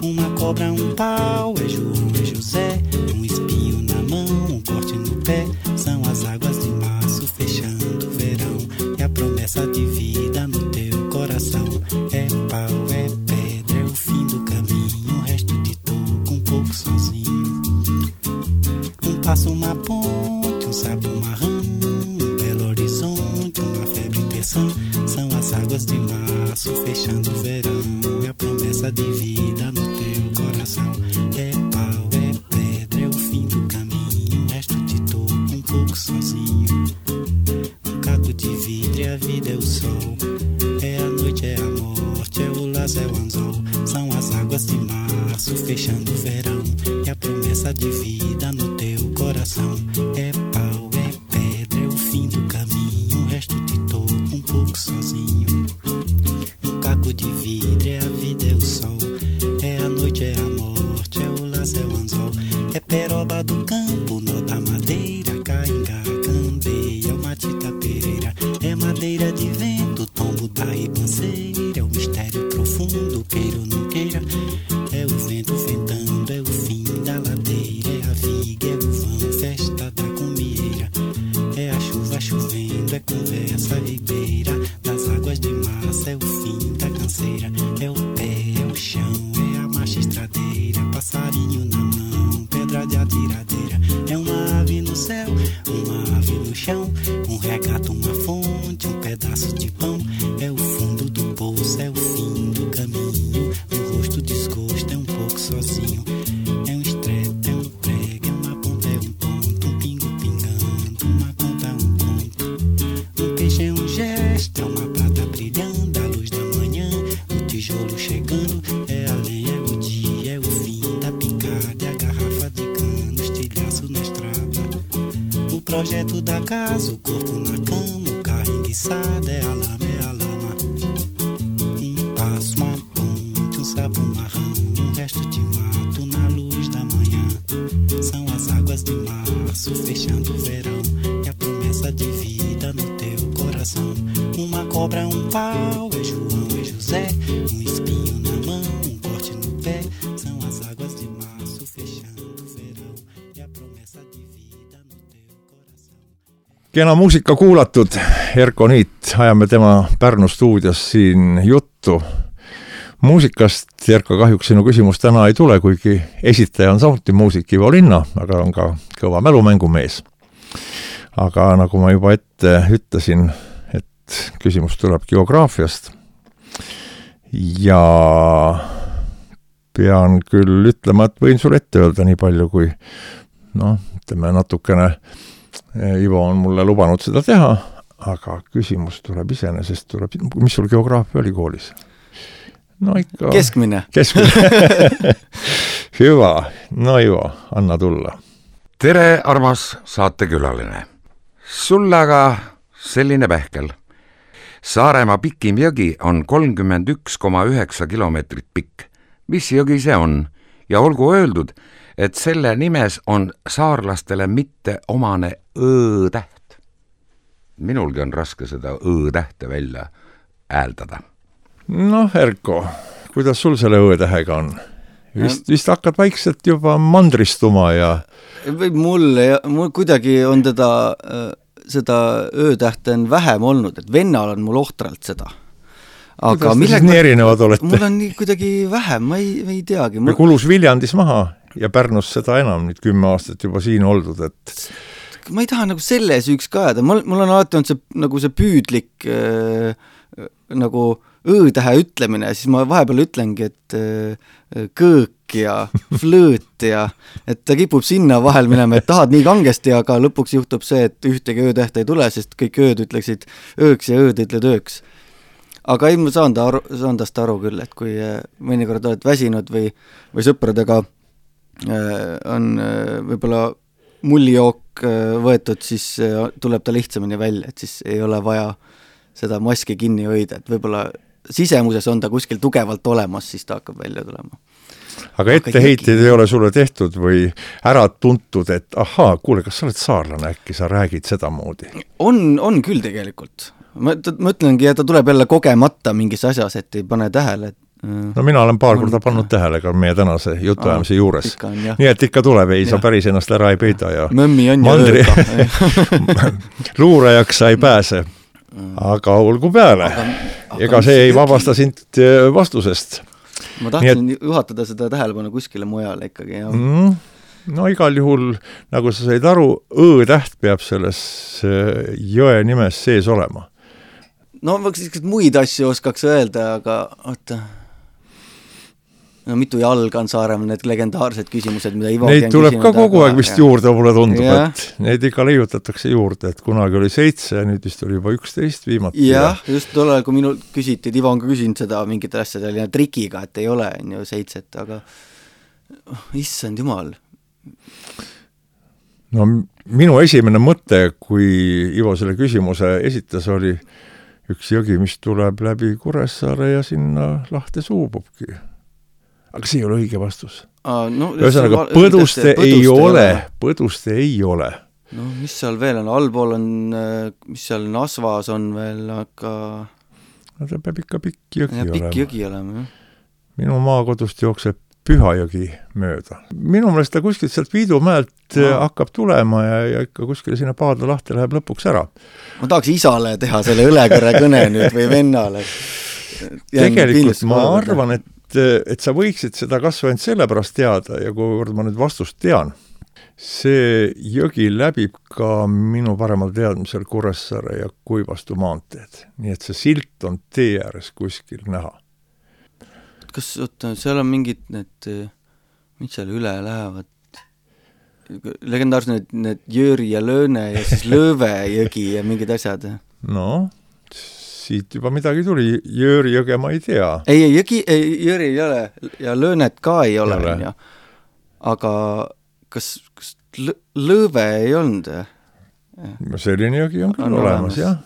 uma cobra, um pau, é João, é José, um espinho na mão, um corte no pé, são as águas de março fechando o verão, é a promessa de vida no teu coração, é pau, é pedra, é o fim do caminho, o resto de março fechando o verão, e a promessa de vida no teu coração. É pau, é pedra, é o fim do caminho, o resto te toco um pouco sozinho. Um caco de vidro, é a vida, é o sol, é a noite, é a morte, é o laço, é o anzol. É peroba do campo, nó da madeira, cainga, candeia, uma titapeira. É madeira de vento, tombo da ribanceira, é o mistério profundo, queira ou não queira. É o vento ventando, é o fim da ladeira, é a viga, é o vão, festa da comieira. É a chuva chovendo, é conversa ribeira, das águas de massa, é o fim da canseira. É o pé, é o chão, é a marcha estradeira, passarinho na mão, pedra de atiradeira. É uma ave no céu, uma ave no chão, um regato, uma fonte, um pedaço de pão. É o fundo do poço, é o fim do caminho, o rosto desgosto, é um pouco sozinho. É um estreito, é um prego, é uma ponta, é um ponto, um pingo pingando, uma conta, um conto. Um peixe é um gesto, é uma prata brilhando, a luz da manhã, o tijolo chegando. É a lenha, é o dia, é o fim da picada, é a garrafa de cano, estilhaço na estrada. O projeto da casa, o corpo na cama, o carro enguiçado, é a lama, é a lama. Um passo, uma ponte, um sabão marrão, um resto de mato na luz da manhã. São as águas de março fechando o verão, e a promessa de vida no teu coração. Uma cobra, um pau, é João, é José, um espinho na mão, um corte no pé. São as águas de março fechando o verão, e a promessa de vida no teu coração. Kena muusika kuulatud, Erko Niit, ajame tema Pärnu stuudios siin juttu muusikast. Erko, kahjuks sinu küsimus täna ei tule, kuigi esitaja on samuti muusik Ivo Linna, aga on ka kõva mälumängumees. Aga nagu ma juba ette ütlesin, et küsimus tuleb geograafiast ja pean küll ütlema, et võin sulle ette öelda nii palju, kui noh, ütleme natukene Ivo on mulle lubanud seda teha, aga küsimus tuleb iseenesest, tuleb, mis sul geograafia oli koolis? No ikka... Keskmine. Keskmine. Hyvä. No Ivo, anna tulla. Tere, armas saatekülaline. Sulle aga selline pähkel. Saaremaa pikim jõgi on kolmkümmend üks koma üheksa kilomeetrit pikk. Mis jõgi see on? Ja olgu öeldud, et selle nimes on saarlastele mitte omane õ-täht. Minulgi on raske seda õ-tähte välja hääldada. Noh, Erko, kuidas sul selle õ-tähega on? Vist, vist hakkad vaikselt juba mandristuma ja... Või mul, mul kuidagi on teda, seda õ-tähte on vähem olnud, et vennal on mul ohtralt seda. Aga kuidas millega... nii erinevad olete? Mul on nii kuidagi vähem, ma ei, ei teagi. Mul... Me kulus Viljandis maha ja Pärnus seda enam, nüüd kümme aastat juba siin oldud, et... Ma ei taha nagu selle süüks ka jääda. Mul, mul on alati olnud see, nagu see püüdlik äh, nagu õ-tähe ütlemine, siis ma vahepeal ütlengi, et äh, kõõk ja flööt ja et ta kipub sinna vahel minema, et tahad nii kangesti, aga lõpuks juhtub see, et ühtegi õ-tähte ei tule, sest kõik ööd ütleksid ööks ja ööd ütled ööks. Aga ei, ma saan, ta aru, saan tast aru küll, et kui mõnikord oled väsinud või, või sõpradega äh, on äh, võib-olla mullijook äh, võetud, siis äh, tuleb ta lihtsamini välja, et siis ei ole vaja seda maski kinni hoida, et võib-olla sisemuses on ta kuskil tugevalt olemas, siis ta hakkab välja tulema. Aga etteheiteid ei ole sulle tehtud või ära tuntud, et ahaa, kuule, kas sa oled saarlane, äkki sa räägid seda moodi? On, on küll tegelikult. Ma, ta, ma ütlengi, et ta tuleb jälle kogemata mingis asjas, et ei pane tähele. No mina olen paar korda pannud tähele ka meie tänase jutuajamise juures. On, nii et ikka tuleb, ei ja. Sa päris ennast ära ei peida ja Mõmmi on mandri... luurajaks sa ei pääse. Aga olgu peale. Aga, aga ega see ei vabasta sind vastusest. Ma tahtsin et... juhatada seda tähelepanu kuskile mujale ikkagi. Ja. Mm, no igal juhul, nagu sa said aru, õ-täht peab selles jõe nimes sees olema. No võiks muid asju oskaks öelda, aga oota. no mitu jalga on Saaremaa, need legendaarsed küsimused, mida Ivo neid tuleb ka kogu aeg vist ja. juurde, mulle tundub, ja. et neid ikka leiutatakse juurde, et kunagi oli seitse ja nüüd vist oli juba üksteist viimati. jah, ja. just tollal, kui minul küsiti, et Ivo on ka küsinud seda mingit asja, oli trikiga, et ei ole on ju seitset, aga oh, issand jumal. No minu esimene mõte, kui Ivo selle küsimuse esitas, oli üks jõgi, mis tuleb läbi Kuressaare ja sinna lahte suububki. Aga see ei ole õige vastus. Aa, no, Ühesõnaga, põduste ei ole, põduste ei ole. No mis seal veel on? Allpool on, mis seal Nasvas on veel, aga... No ta peab ikka pikk jõgi ja, olema. Pikk jõgi olema, jah. Minu maakodust jookseb Pühajõgi mööda. Minu meelest ta kuskilt sealt Viidumäelt no. hakkab tulema ja, ja ikka kuskile sinna Paadla lahte läheb lõpuks ära. Ma tahaks isale teha selle ülekõrre kõne nüüd või vennale. Tegelikult ma arvan, et et sa võiksid seda kasvu ainult sellepärast teada ja kuivõrd ma nüüd vastust tean, see jõgi läbib ka minu paremal teadmisel Kuressaare ja Kuivastu maanteed. Nii et see silt on tee ääres kuskil näha. Kas, oota, seal on mingid need, mis seal üle lähevad? Legendaarsed need, need Jõri ja Lööne ja siis Lõõve jõgi ja mingid asjad? No, siit juba midagi tuli, Jõri jõge ma ei tea. Ei, jõgi, ei, Jõri ei ole ja Löönet ka ei ole, ei ole. Aga kas, kas Lõõve ei olnud? No selline jõgi on küll on olemas, olemas, jah.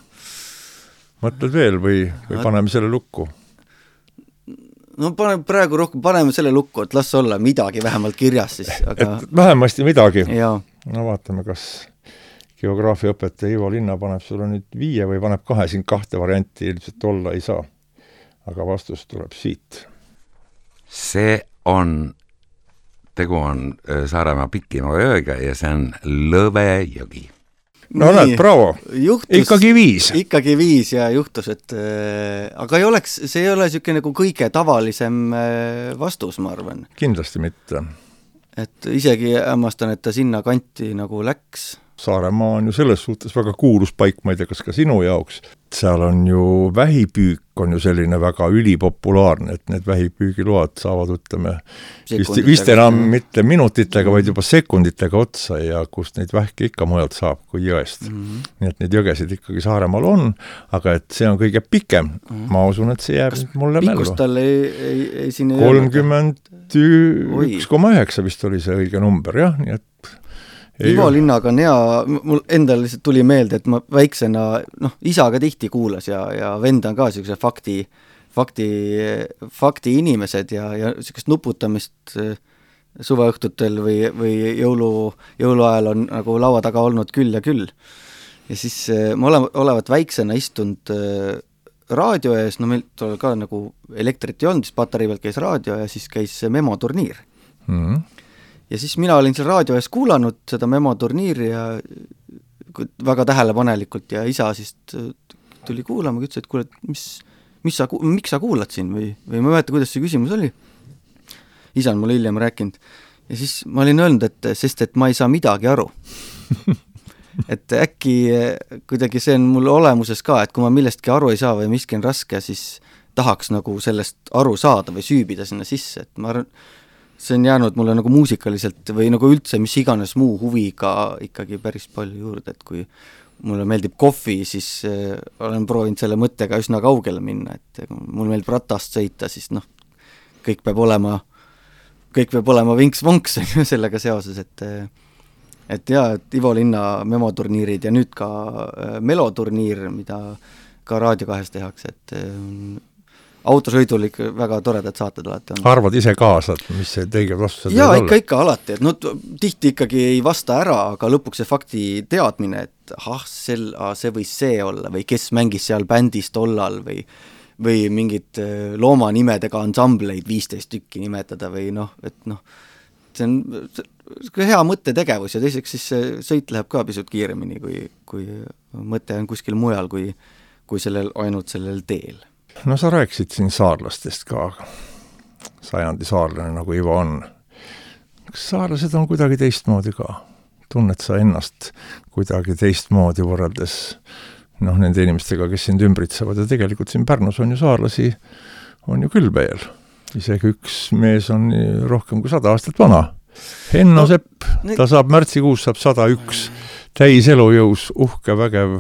Mõtled veel või, või paneme selle lukku? No pane, praegu rohkem paneme selle lukku, et las olla midagi vähemalt kirjas siis. Aga... Et vähemasti midagi. Jaa. No vaatame, kas... geograafiaõpetaja Ivo Linna paneb sulle nüüd viie või paneb kahe, siin kahte varianti ilmselt olla ei saa. Aga vastus tuleb siit. See on, tegu on Saaremaa Pikimaa jõega ja see on Lõve jõgi. No näed, bravo. Juhtus, ikkagi viis. Ikkagi viis ja juhtus, et äh, aga ei oleks, see ei ole niisugune nagu kõige tavalisem äh, vastus, ma arvan. Kindlasti mitte. Et isegi hämmastan, et ta sinna kanti nagu läks. Saaremaa on ju selles suhtes väga kuulus paik, ma ei tea, kas ka sinu jaoks. Seal on ju vähipüük on ju selline väga ülipopulaarne, et need vähipüügiload saavad, ütleme, vist, vist enam mitte minutitega, vaid juba sekunditega otsa ja kust neid vähki ikka mujalt saab kui jõest. Mm-hmm. Nii et neid jõgesid ikkagi Saaremaal on, aga et see on kõige pikem. Mm-hmm. Ma usun, et see jääb kas mulle mällu. Pikkust tal ei, ei, ei siin ei kolmkümmend üks koma üheksa vist oli see õige number, jah, nii et Ivo Linnaga on hea, mul endal lihtsalt tuli meelde, et ma väiksena, noh, isaga tihti kuulas ja, ja vend on ka niisuguse fakti, fakti, fakti inimesed ja, ja niisugust nuputamist suveõhtutel või, või jõulu, jõuluajal on nagu laua taga olnud küll ja küll. Ja siis ma ole, olevat väiksena istunud raadio ees, no meil tol ka nagu elektrit ei olnud, siis patarei pealt käis raadio ja siis käis memoturniir. Mhm. Ja siis mina olin seal raadio ees kuulanud seda memoturniiri ja väga tähelepanelikult ja isa siis tuli kuulama, ütles, et kuule, mis, mis sa, miks sa kuulad siin või, või ma ei mäleta, kuidas see küsimus oli. Isa on mulle hiljem rääkinud. Ja siis ma olin öelnud, et sest et ma ei saa midagi aru. Et äkki kuidagi see on mul olemuses ka, et kui ma millestki aru ei saa või miski on raske, siis tahaks nagu sellest aru saada või süübida sinna sisse, et ma arvan, see on jäänud mulle nagu muusikaliselt või nagu üldse mis iganes muu huviga ikkagi päris palju juurde, et kui mulle meeldib kohvi, siis äh, olen proovinud selle mõttega üsna kaugele minna, et mul meeldib ratast sõita, siis noh, kõik peab olema, kõik peab olema vinks-vonks sellega seoses, et et jaa, et Ivo Linna memoturniirid ja nüüd ka äh, meloturniir, mida ka Raadio kahes tehakse, et äh, autosõidul ikka väga toredad saated alati on. Arvad ise kaasa, mis see teiged vastused jaa, ikka, ikka alati, et no tihti ikkagi ei vasta ära, aga lõpuks see fakti teadmine, et ah, sel, ah, see võis see olla või kes mängis seal bändis tollal või, või mingid loomanimedega ansambleid viisteist tükki nimetada või noh, et noh, see on hea mõttetegevus ja teiseks siis see sõit läheb ka pisut kiiremini, kui, kui mõte on kuskil mujal, kui, kui sellel, ainult sellel teel. No sa rääkisid siin saarlastest ka, sajandi saarlane nagu Ivo on. Kas saarlased on kuidagi teistmoodi ka? Tunned sa ennast kuidagi teistmoodi võrreldes noh, nende inimestega, kes sind ümbritsevad ja tegelikult siin Pärnus on ju saarlasi, on ju küll veel. isegi üks mees on rohkem kui sada aastat vana. Henno no, Sepp, ne... ta saab märtsikuus saab sada üks, täis elujõus, uhke, vägev.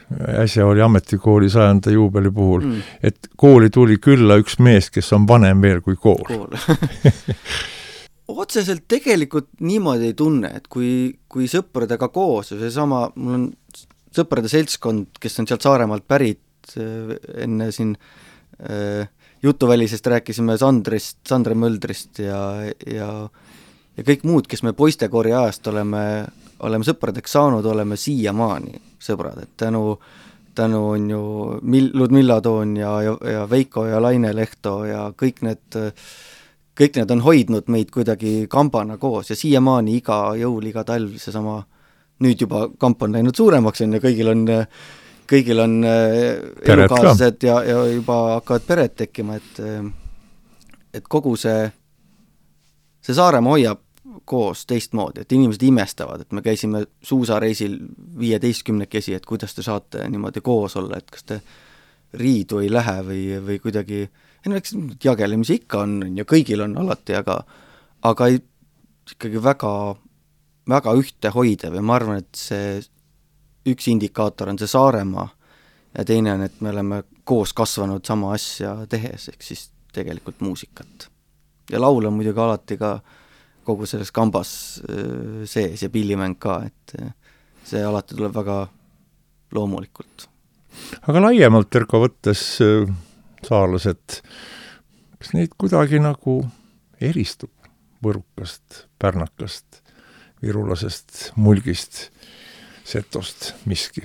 Äsja oli ametikooli sajanda juubeli puhul, mm. et kooli tuli külla üks mees, kes on vanem veel kui kool. kool. Otseselt tegelikult niimoodi ei tunne, et kui, kui sõpradega koos, see sama, mul on sõprade seltskond, kes on sealt Saaremaalt pärit, enne siin äh, jutuvälisest rääkisime Sandrist, Sandre Möldrist ja, ja, ja kõik muud, kes me poistekoori ajast oleme, oleme sõpradeks saanud, oleme siiamaani sõbrad, et tänu, tänu on ju Mil-, Ludmilla Toon ja, ja, ja Veiko ja Laine Lehto ja kõik need, kõik need on hoidnud meid kuidagi kambana koos ja siiamaani iga jõul, iga talv seesama, nüüd juba kamp on läinud suuremaks ja kõigil on kõigil on elukaaslased ja, ja juba hakkavad pered tekkima, et, et kogu see, see Saaremaa hoiab koos teistmoodi, et inimesed imestavad, et me käisime suusareisil viieteistkümnekesi, et kuidas te saate niimoodi koos olla, et kas te riidu ei lähe või, või kuidagi, ei no eks jagelemisi ikka on ja kõigil on alati, aga, aga ei, ikkagi väga, väga ühtehoidev ja ma arvan, et see üks indikaator on see Saaremaa ja teine on, et me oleme koos kasvanud sama asja tehes, ehk siis tegelikult muusikat. Ja laul on muidugi alati ka kogu selles kambas sees ja pillimäng ka, et see alati tuleb väga loomulikult. Aga laiemalt Erko võttes saarlased, kas neid kuidagi nagu eristub võrukast, pärnakast, virulasest, mulgist, setost, miski.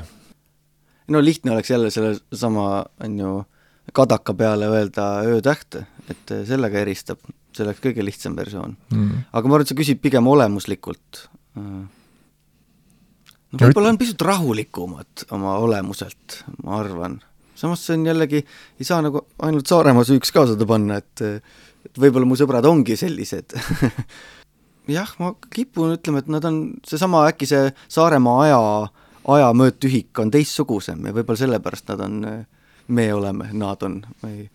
No lihtne oleks jälle selle sama on ju, kadaka peale öelda öötähte, et sellega eristab, see oleks kõige lihtsam versioon. Mm. Aga ma arvan, et sa küsid pigem olemuslikult. No, võib-olla on pisut rahulikumad oma olemuselt, ma arvan. Samas see on jällegi, ei saa nagu ainult Saaremaa süüks ka seda panna, et, et võib-olla mu sõbrad ongi sellised. Jah, ma kipun ütlema, et nad on seesama äkki see Saaremaa aja, aja möödtühik on teissugusem ja võib-olla sellepärast nad on, me oleme, nad on. Me ei...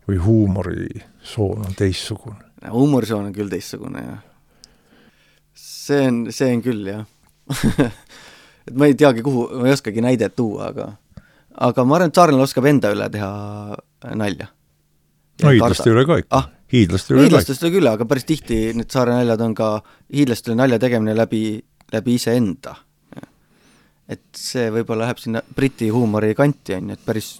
Või huumorisoon on teissugune. Huumorisoon on küll teissugune, jah. See on, see on küll, jah. et ma ei teagi, kuhu, ma ei oskagi näidet tuua, aga, aga ma arvan, et saarlane oskab enda üle teha nalja. No hiidlaste üle ka ikka. Ah, hiidlaste üle hiidlastest üle küll, aga päris tihti need saare naljad on ka hiidlastele nalja tegemine läbi, läbi ise enda. Et see võib-olla läheb sinna briti huumori kanti, on, et päris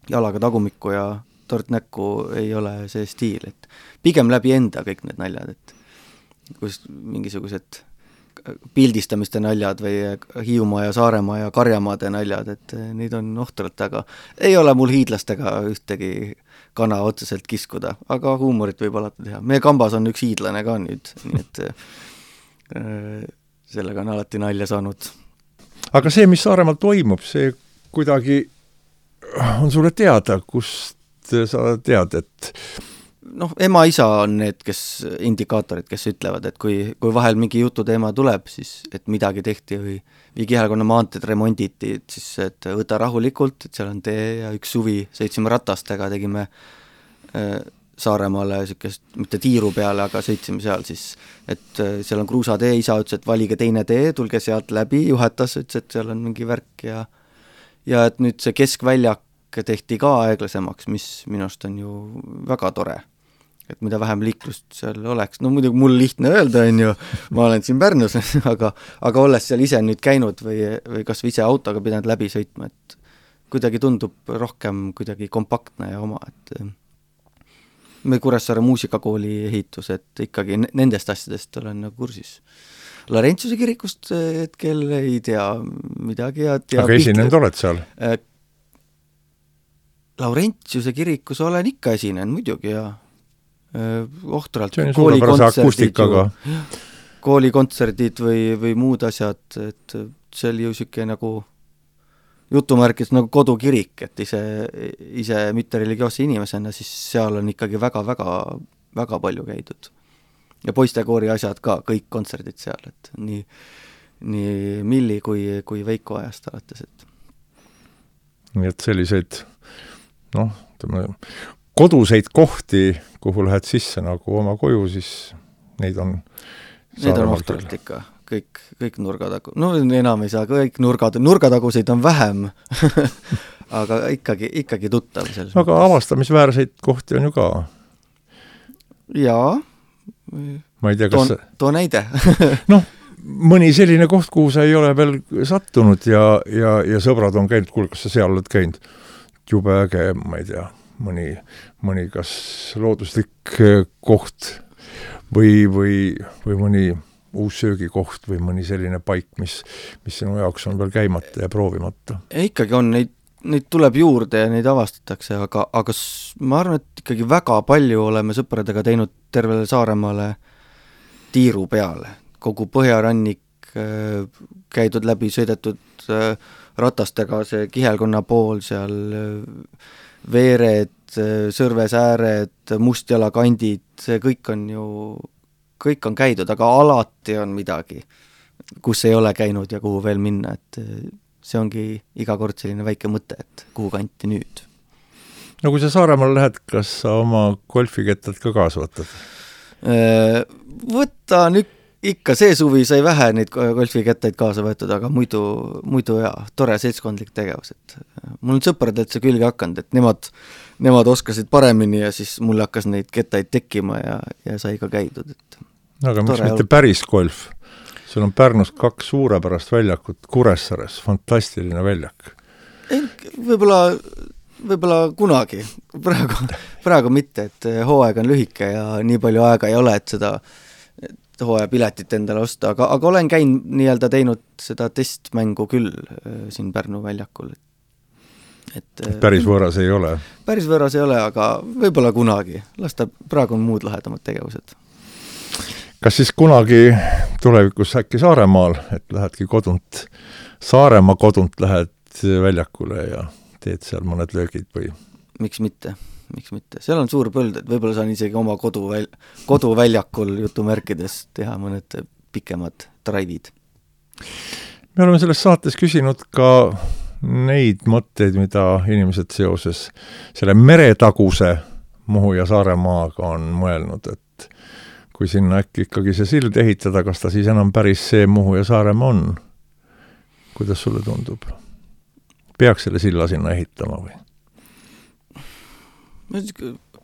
jalaga tagumikku ja tord näkku ei ole see stiil, et pigem läbi enda kõik need naljad, et kus mingisugused pildistamiste naljad või Hiiumaa ja Saaremaa ja Karjamaade naljad, et neid on ohtralt, aga ei ole mul hiidlastega ühtegi kana otseselt kiskuda, aga huumorit võib alati teha. Meie kambas on üks hiidlane ka nüüd, nii et äh, sellega on alati nalja saanud. Aga see, mis Saaremaal toimub, see kuidagi on sulle teada, kust sa tead, et noh, ema-isa on need, kes indikaatorid, kes ütlevad, et kui, kui vahel mingi jututeema tuleb, siis et midagi tehti või, või kihelkonna maanteed remonditi, et siis et võta rahulikult, et seal on tee ja üks suvi sõitsime ratastega, tegime äh, Saaremaale sükest, mitte tiiru peale, aga sõitsime seal siis, et äh, seal on kruusatee, isa ütles, et valige teine tee, tulge sealt läbi, juhatas, ütles, et seal on mingi värk ja ja et nüüd see keskväljak tehti ka aeglasemaks, mis minust on ju väga tore. Et mida vähem liiklust seal oleks. No muidugi mul lihtne öelda, on ju, ma olen siin Pärnus, aga, aga olles seal ise nüüd käinud või, või kas või ise autoga pidanud läbi sõitma, et kuidagi tundub rohkem kuidagi kompaktne ja oma, et me Kuressaare muusikakooli ehitus, et ikkagi nendest asjadest olen nagu kursis. Laurentiuse kirikust hetkel ei tea midagi. Ja tea aga esinenud oled seal? Laurentiuse kirikus olen ikka esinen, muidugi, ja ohtralt. See on suurepärase akustikaga. Koolikontserdid või, või muud asjad, et see oli ju siuke nagu jutumärkis nagu kodukirik, et ise, ise mitte religioosse inimesena, siis seal on ikkagi väga, väga, väga palju käidud. Ja poistekoori asjad ka, kõik kontserdid seal, et nii, nii Milli kui, kui Veiko ajast alates, et nii et selliseid noh, koduseid kohti, kuhu lähed sisse nagu oma koju, siis neid on Need on ohtralt ikka, kõik, kõik nurgatagu. No enam ei saa, kõik nurgad, nurgataguseid on vähem, aga ikkagi, ikkagi tuttav. Aga avastamisväärseid kohti on ju ka. Jaa. Ma ei tea, kas... Too, too näide. noh, mõni selline koht, kuhu sa ei ole veel sattunud ja, ja, ja sõbrad on käinud, kuule, kas sa seal oled käinud? Jube äge, ma ei tea, mõni, mõni kas looduslik koht või, või, või mõni uus söögikoht või mõni selline paik, mis, mis sinu jaoks on veel käimata ja proovimata. Ja ikkagi on, neid, neid tuleb juurde ja neid avastatakse, aga, aga ma arvan, et ikkagi väga palju oleme sõpradega teinud tervele Saaremaale tiiru peale. Kogu põhjarannik käidud läbi, sõidetud ratastega, see Kihelkonna pool seal, veered, Sõrvesääred, Mustjalakandid, see kõik on ju, kõik on käidud, aga alati on midagi, kus ei ole käinud ja kuhu veel minna, et see ongi iga kord selline väike mõte, et kuhu kanti nüüd. No kui sa Saaremaal lähed, kas sa oma golfikettad ka kaasa võtad? Võta nüüd ikka, see suvi sai vähe neid golfikettaid kaasa võetud, aga muidu, muidu jaa, tore seltskondlik tegevus. Et mul on sõprad, et see külge hakanud, et nemad, nemad oskasid paremini ja siis mul hakkas neid kettaid tekkima ja, ja sai ka käidud. Et aga miks mitte päris golf? Sul on Pärnus kaks suurepärast väljakut Kuressaares, fantastiline väljak. Võib-olla, võib-olla kunagi, praegu, praegu mitte, et hooaeg on lühike ja nii palju aega ei ole, et seda hooaja piletit endale osta, aga, aga olen käinud nii-öelda teinud seda testmängu küll siin Pärnu väljakul. Et, päris võõras ei ole? Päris võõras ei ole, aga võib-olla kunagi. Lasta, praegu on muud lahedamad tegevused. Kas siis kunagi tulevikus äkki Saaremaal, et lähedki kodunt, Saaremaa kodunt lähed väljakule ja teed seal mõned löögid või? Miks mitte? Miks mitte? Seal on suur põld, et võib-olla saan isegi oma kodu väl, koduväljakul jutumärkides teha mõned pikemad drive'id. Me oleme selles saates küsinud ka neid mõtteid, mida inimesed seoses selle meretaguse Muhu ja Saaremaaga on mõelnud, et kui sinna äkki ikkagi see sild ehitada, kas ta siis enam päris see Muhu ja Saaremaa on? Kuidas sulle tundub? Peaks selle silla sinna ehitama või?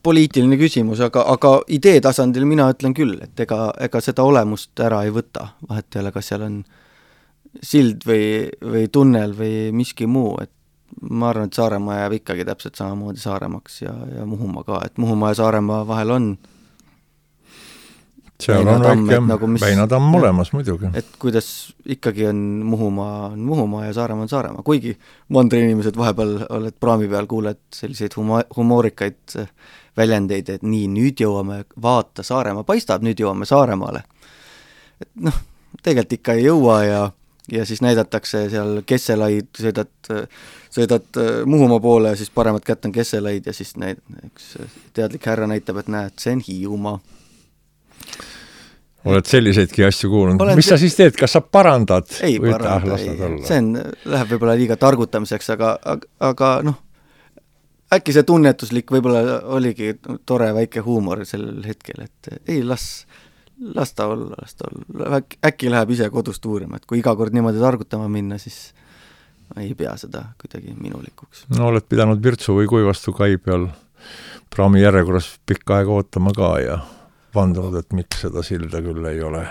Poliitiline küsimus, aga, aga idee tasandil mina ütlen küll, et ega, ega seda olemust ära ei võta. Vahet ei ole, kas seal on sild või, või tunnel või miski muu, et ma arvan, et Saaremaa jääb ikkagi täpselt samamoodi Saaremaks ja, ja Muhumaa ka, et Muhumaa ja Saaremaa vahel on seal on väike nagu Väinatamm olemas muidugi. Et kuidas ikkagi on Muhumaa, on Muhumaa ja Saaremaa on Saaremaa, kuigi mandri inimesed vahepeal oled praami peal, kuuled selliseid huma, humoorikaid väljendeid, et nii, nüüd jõuame, vaata, Saaremaa paistab, nüüd jõuame Saaremaale. Et noh, tegelikult ikka ei jõua ja, ja siis näidatakse seal Kesselaid, sõidad, sõidad Muhumaa poole ja siis paremat kätt on Kesselaid ja siis näid, üks teadlik härra näitab, et näed, see on Hiiumaa. Oled selliseidki asju kuulnud. Olen mis sa siis teed? Kas sa parandad? Ei paranda, ei. See on, läheb võib-olla liiga targutamiseks, aga, aga, aga noh, äkki see tunnetuslik võib-olla oligi tore väike huumor sellel hetkel, et ei, las, las ta olla, las ta olla. Äkki läheb ise kodust uurima, et kui iga kord niimoodi targutama minna, siis ei pea seda kuidagi minulikuks. No oled pidanud Virtsu või Kuivastu kai peal praami järjekorras pikka aega ootama ka ja vandunud, et miks seda silda küll ei ole?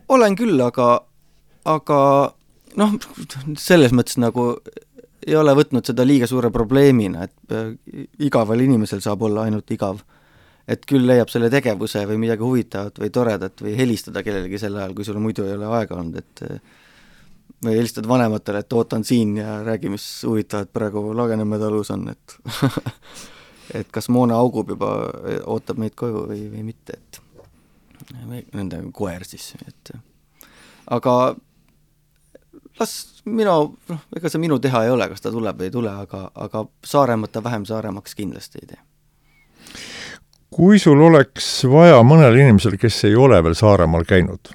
Olen küll, aga, aga noh, selles mõttes nagu ei ole võtnud seda liiga suure probleemina, et igaval inimesel saab olla ainult igav. Et küll leiab selle tegevuse või midagi huvitavat või toredat või helistada kellelegi sel ajal, kui sul muidu ei ole aega olnud, et või helistad vanematele, et ootan siin ja räägi, mis huvitavat praegu Lagenemäe talus on, et et kas Moona augub juba, ootab meid koju või, või mitte, et nende koer siis, et aga las minu, noh, ega see minu teha ei ole, kas ta tuleb või ei tule, aga, aga Saaremata vähem Saaremaks kindlasti ei tee. Kui sul oleks vaja mõnel inimesel, kes ei ole veel Saaremaal käinud,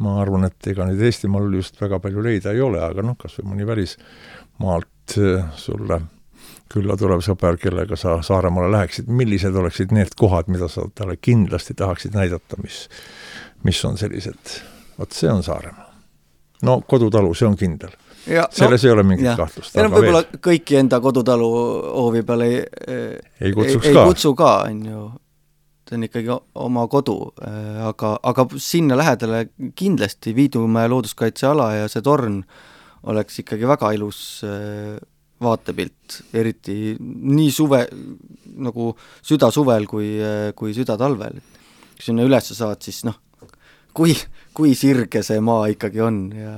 ma arvan, et ega nüüd Eestimaal just väga palju leida ei ole, aga noh, kas või mõni välismaalt sulle külla tuleb sõber, kellega sa Saaremaale läheksid, millised oleksid need kohad, mida sa talle kindlasti tahaksid näidata, mis, mis on sellised, vot see on Saaremaa. No kodutalu, see on kindel. Ja, selles no, ei ole mingit ja. kahtlust. Ja võib-olla veel... kõiki enda kodutalu hoovi peale ei, ei, ei, ei kutsu ka, on ju. See on ikkagi oma kodu, aga, aga sinna lähedale kindlasti Viidumäe looduskaitseala ja see torn oleks ikkagi väga ilus vaatepilt, eriti nii suve, nagu süda suvel kui, kui süda talvel. Kui sinna üles saad, siis noh, kui, kui sirge see maa ikkagi on ja,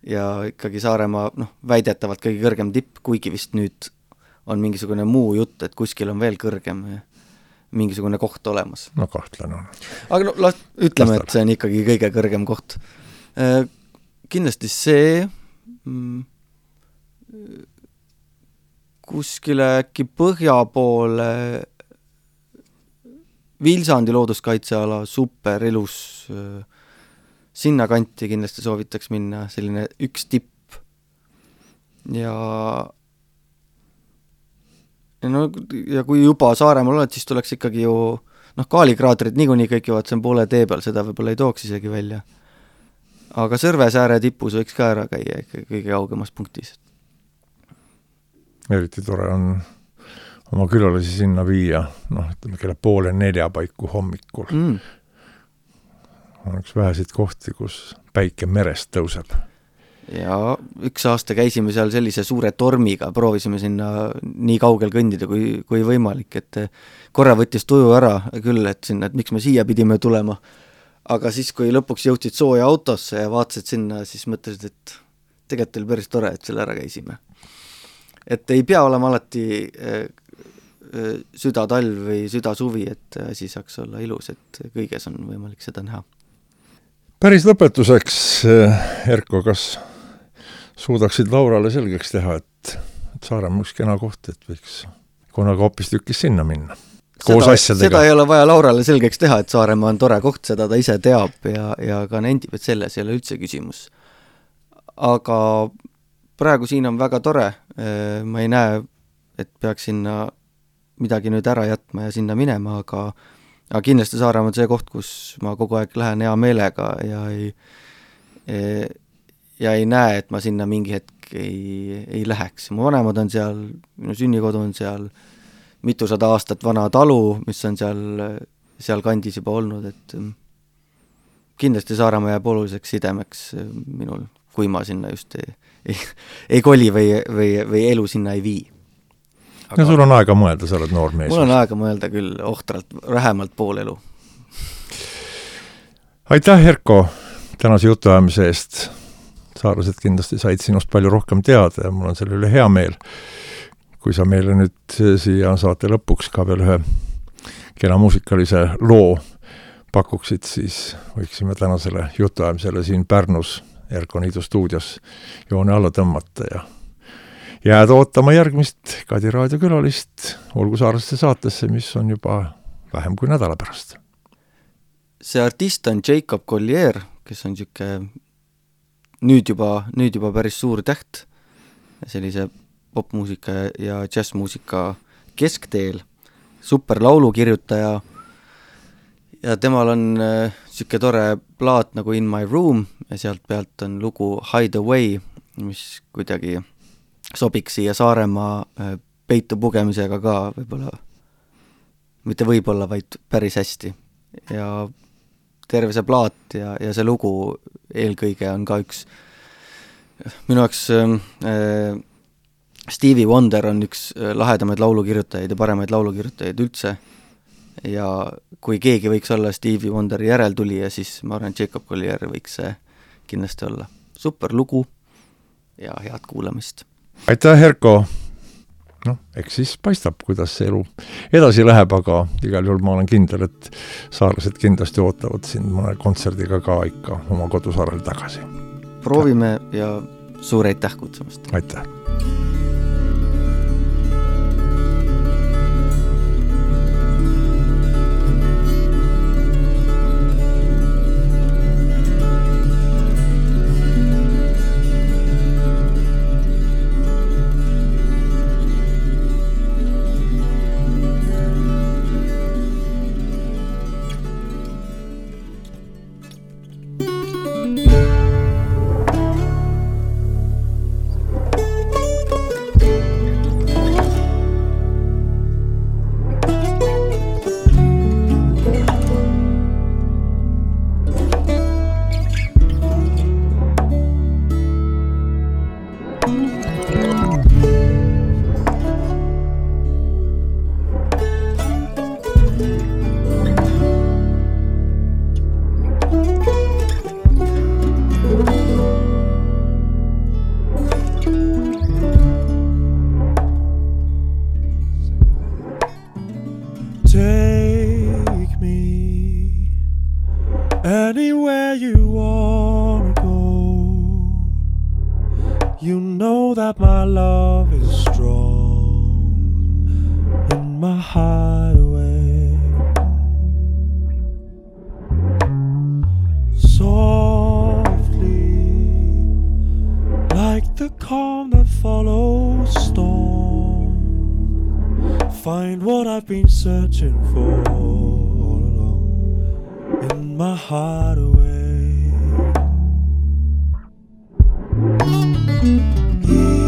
ja ikkagi Saaremaa noh, väidetavalt kõige kõrgem tipp, kuigi vist nüüd on mingisugune muu jutt, et kuskil on veel kõrgem ja mingisugune koht olemas. No kahtlen on. Aga no, las, ütleme, Lastale. Et see on ikkagi kõige kõrgem koht. Kindlasti see mm, kuskile äkki põhja poole Vilsandi looduskaitseala, super ilus, sinna kanti kindlasti soovitaks minna, selline üks tipp. Ja, ja, no, ja kui juba Saaremaal oled, siis tuleks ikkagi ju, noh, kaalikraatrid niikuinii kõik jõuavad, see on poole tee peal, seda võib-olla ei tooks isegi välja. Aga Sõrvesääre tipus võiks ka ära käia kõige kaugemas punktis. Eriti tore on oma külalisi sinna viia, noh, ütleme, kelle poole nelja paiku hommikul. Mm. On üks vähesid kohti, kus päike merest tõuseb. Ja üks aasta käisime seal sellise suure tormiga, proovisime sinna nii kaugel kõndida kui, kui võimalik, et korra võttis tuju ära küll, et sinna, et miks me siia pidime tulema. Aga siis, kui lõpuks jõudsid sooja autosse ja vaatasid sinna, siis mõtlesid, et tegelikult oli päris tore, et selle ära käisime. Et ei pea olema alati äh, süda talv või süda suvi, et asi saaks olla ilus, et kõiges on võimalik seda näha. Päris lõpetuseks, Erko, kas suudaksid Laurale selgeks teha, et, et Saaremaa üks kena koht, et võiks kunagi hoopis tükis sinna minna? Koos seda, asjadega. Seda ei ole vaja Laurale selgeks teha, et Saaremaa on tore koht, seda ta ise teab ja, ja ka nendib, et selles ei ole üldse küsimus. Aga praegu siin on väga tore, ma ei näe, et peaks sinna midagi nüüd ära jätma ja sinna minema, aga, aga kindlasti Saaremaa on see koht, kus ma kogu aeg lähen hea meelega ja ei, ja ei näe, et ma sinna mingi hetk ei, ei läheks. Mu vanemad on seal, minu sünnikodu on seal, mitusada aastat vana talu, mis on seal, seal kandis juba olnud, et kindlasti Saaremaa jääb oluliseks sidemeks minul, kui ma sinna just ei, ei, ei koli või, või, või elu sinna ei vii. Aga ja sul on aega mõelda, sa oled noor mees. Mul on aega mõelda küll ohtralt, vähemalt pool elu. Aitäh, Erko, tänase jutuajamise eest. Saarlased kindlasti said sinust palju rohkem teada ja mul on selle üle hea meel. Kui sa meile nüüd siia saate lõpuks ka veel ühe kena muusikalise loo pakuksid, siis võiksime tänasele jutuajamisele siin Pärnus Erko Niidu stuudios joone alla tõmmata ja jääda ootama järgmist Kadi raadio külalist olgu Saarlaste saatesse, mis on juba vähem kui nädala pärast. See artist on Jacob Collier, kes on siuke nüüd juba, nüüd juba päris suur täht sellise popmuusika ja jazzmuusika keskteel, super laulukirjutaja ja temal on äh, siuke tore plaat nagu In My Room ja sealt pealt on lugu Hide Away, mis kuidagi sobiks siia Saaremaa äh, peitu pugemisega ka võib-olla, mitte võib-olla, vaid päris hästi. Ja terve see plaat ja, ja see lugu eelkõige on ka üks minu jaoks äh, Stevie Wonder on üks lahedamaid laulukirjutajaid ja paremaid laulukirjutajaid üldse ja kui keegi võiks olla Stevie Wonderi järeltulija, siis ma arvan, Jacob Collier võiks see kindlasti olla. Super lugu ja head kuulamist. Aitäh, Erko! No, eks siis paistab, kuidas see elu edasi läheb, aga igal juhul ma olen kindel, et saarlased kindlasti ootavad sind mõne kontserdiga ka ikka oma kodusaarel tagasi. Proovime ja suur aitäh kutsumast! Aitäh! Anywhere you wanna go, you know that my love is strong in my hideaway. Softly, like the calm that follows storm, find what I've been searching for all along in my hideaway. Even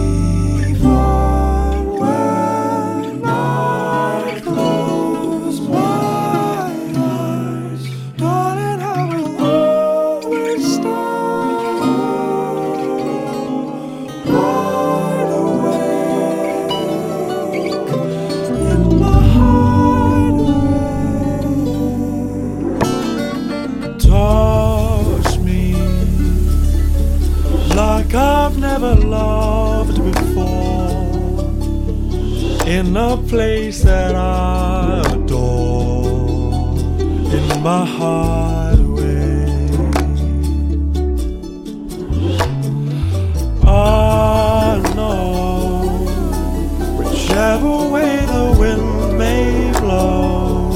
when I close my eyes, darling, I will always stand wide awake in my hideaway. Touch me like I've never loved before, in a place that I adore, in my hideaway. I know whichever way the wind may blow,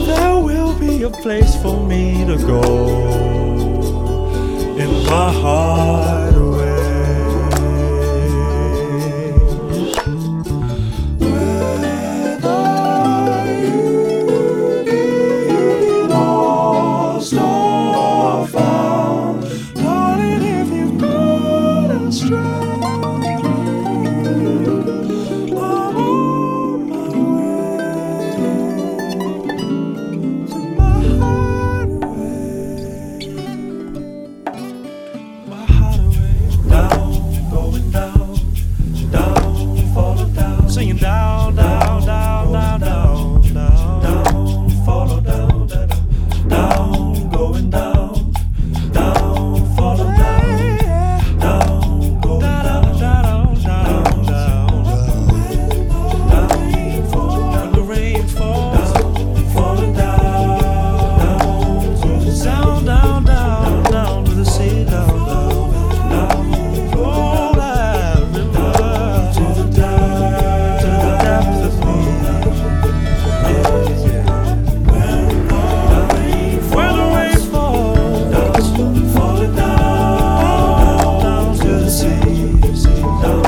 there will be a place for me to go in my hideaway. Whether you get lost or found, darling, if you've gone astray, I'm on my way to my hideaway. Down, going down, down, follow down, singing down, down, down, down, down, down, down, follow down, down, down, going down, down, follow down, down, going down, down, down, down, down, when the rain falls, falling down, to the sound, down, down, down to the sea, down, down, down, oh, that river, to the depth, to the depth of me, yeah, yeah. When the rain falls, falling down, down to the sea, down,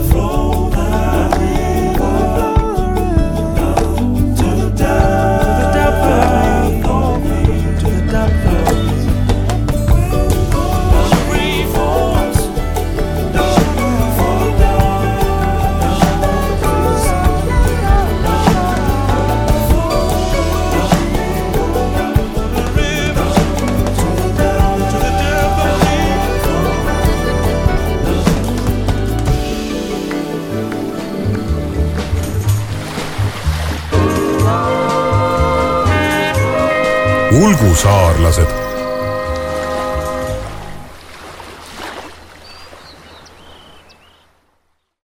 flow that river, down to the depth, of me, to the depth of me. Rain falls, down, fall down, down to the sea, the river, to the down, to the depth of me. Ulgusaarlased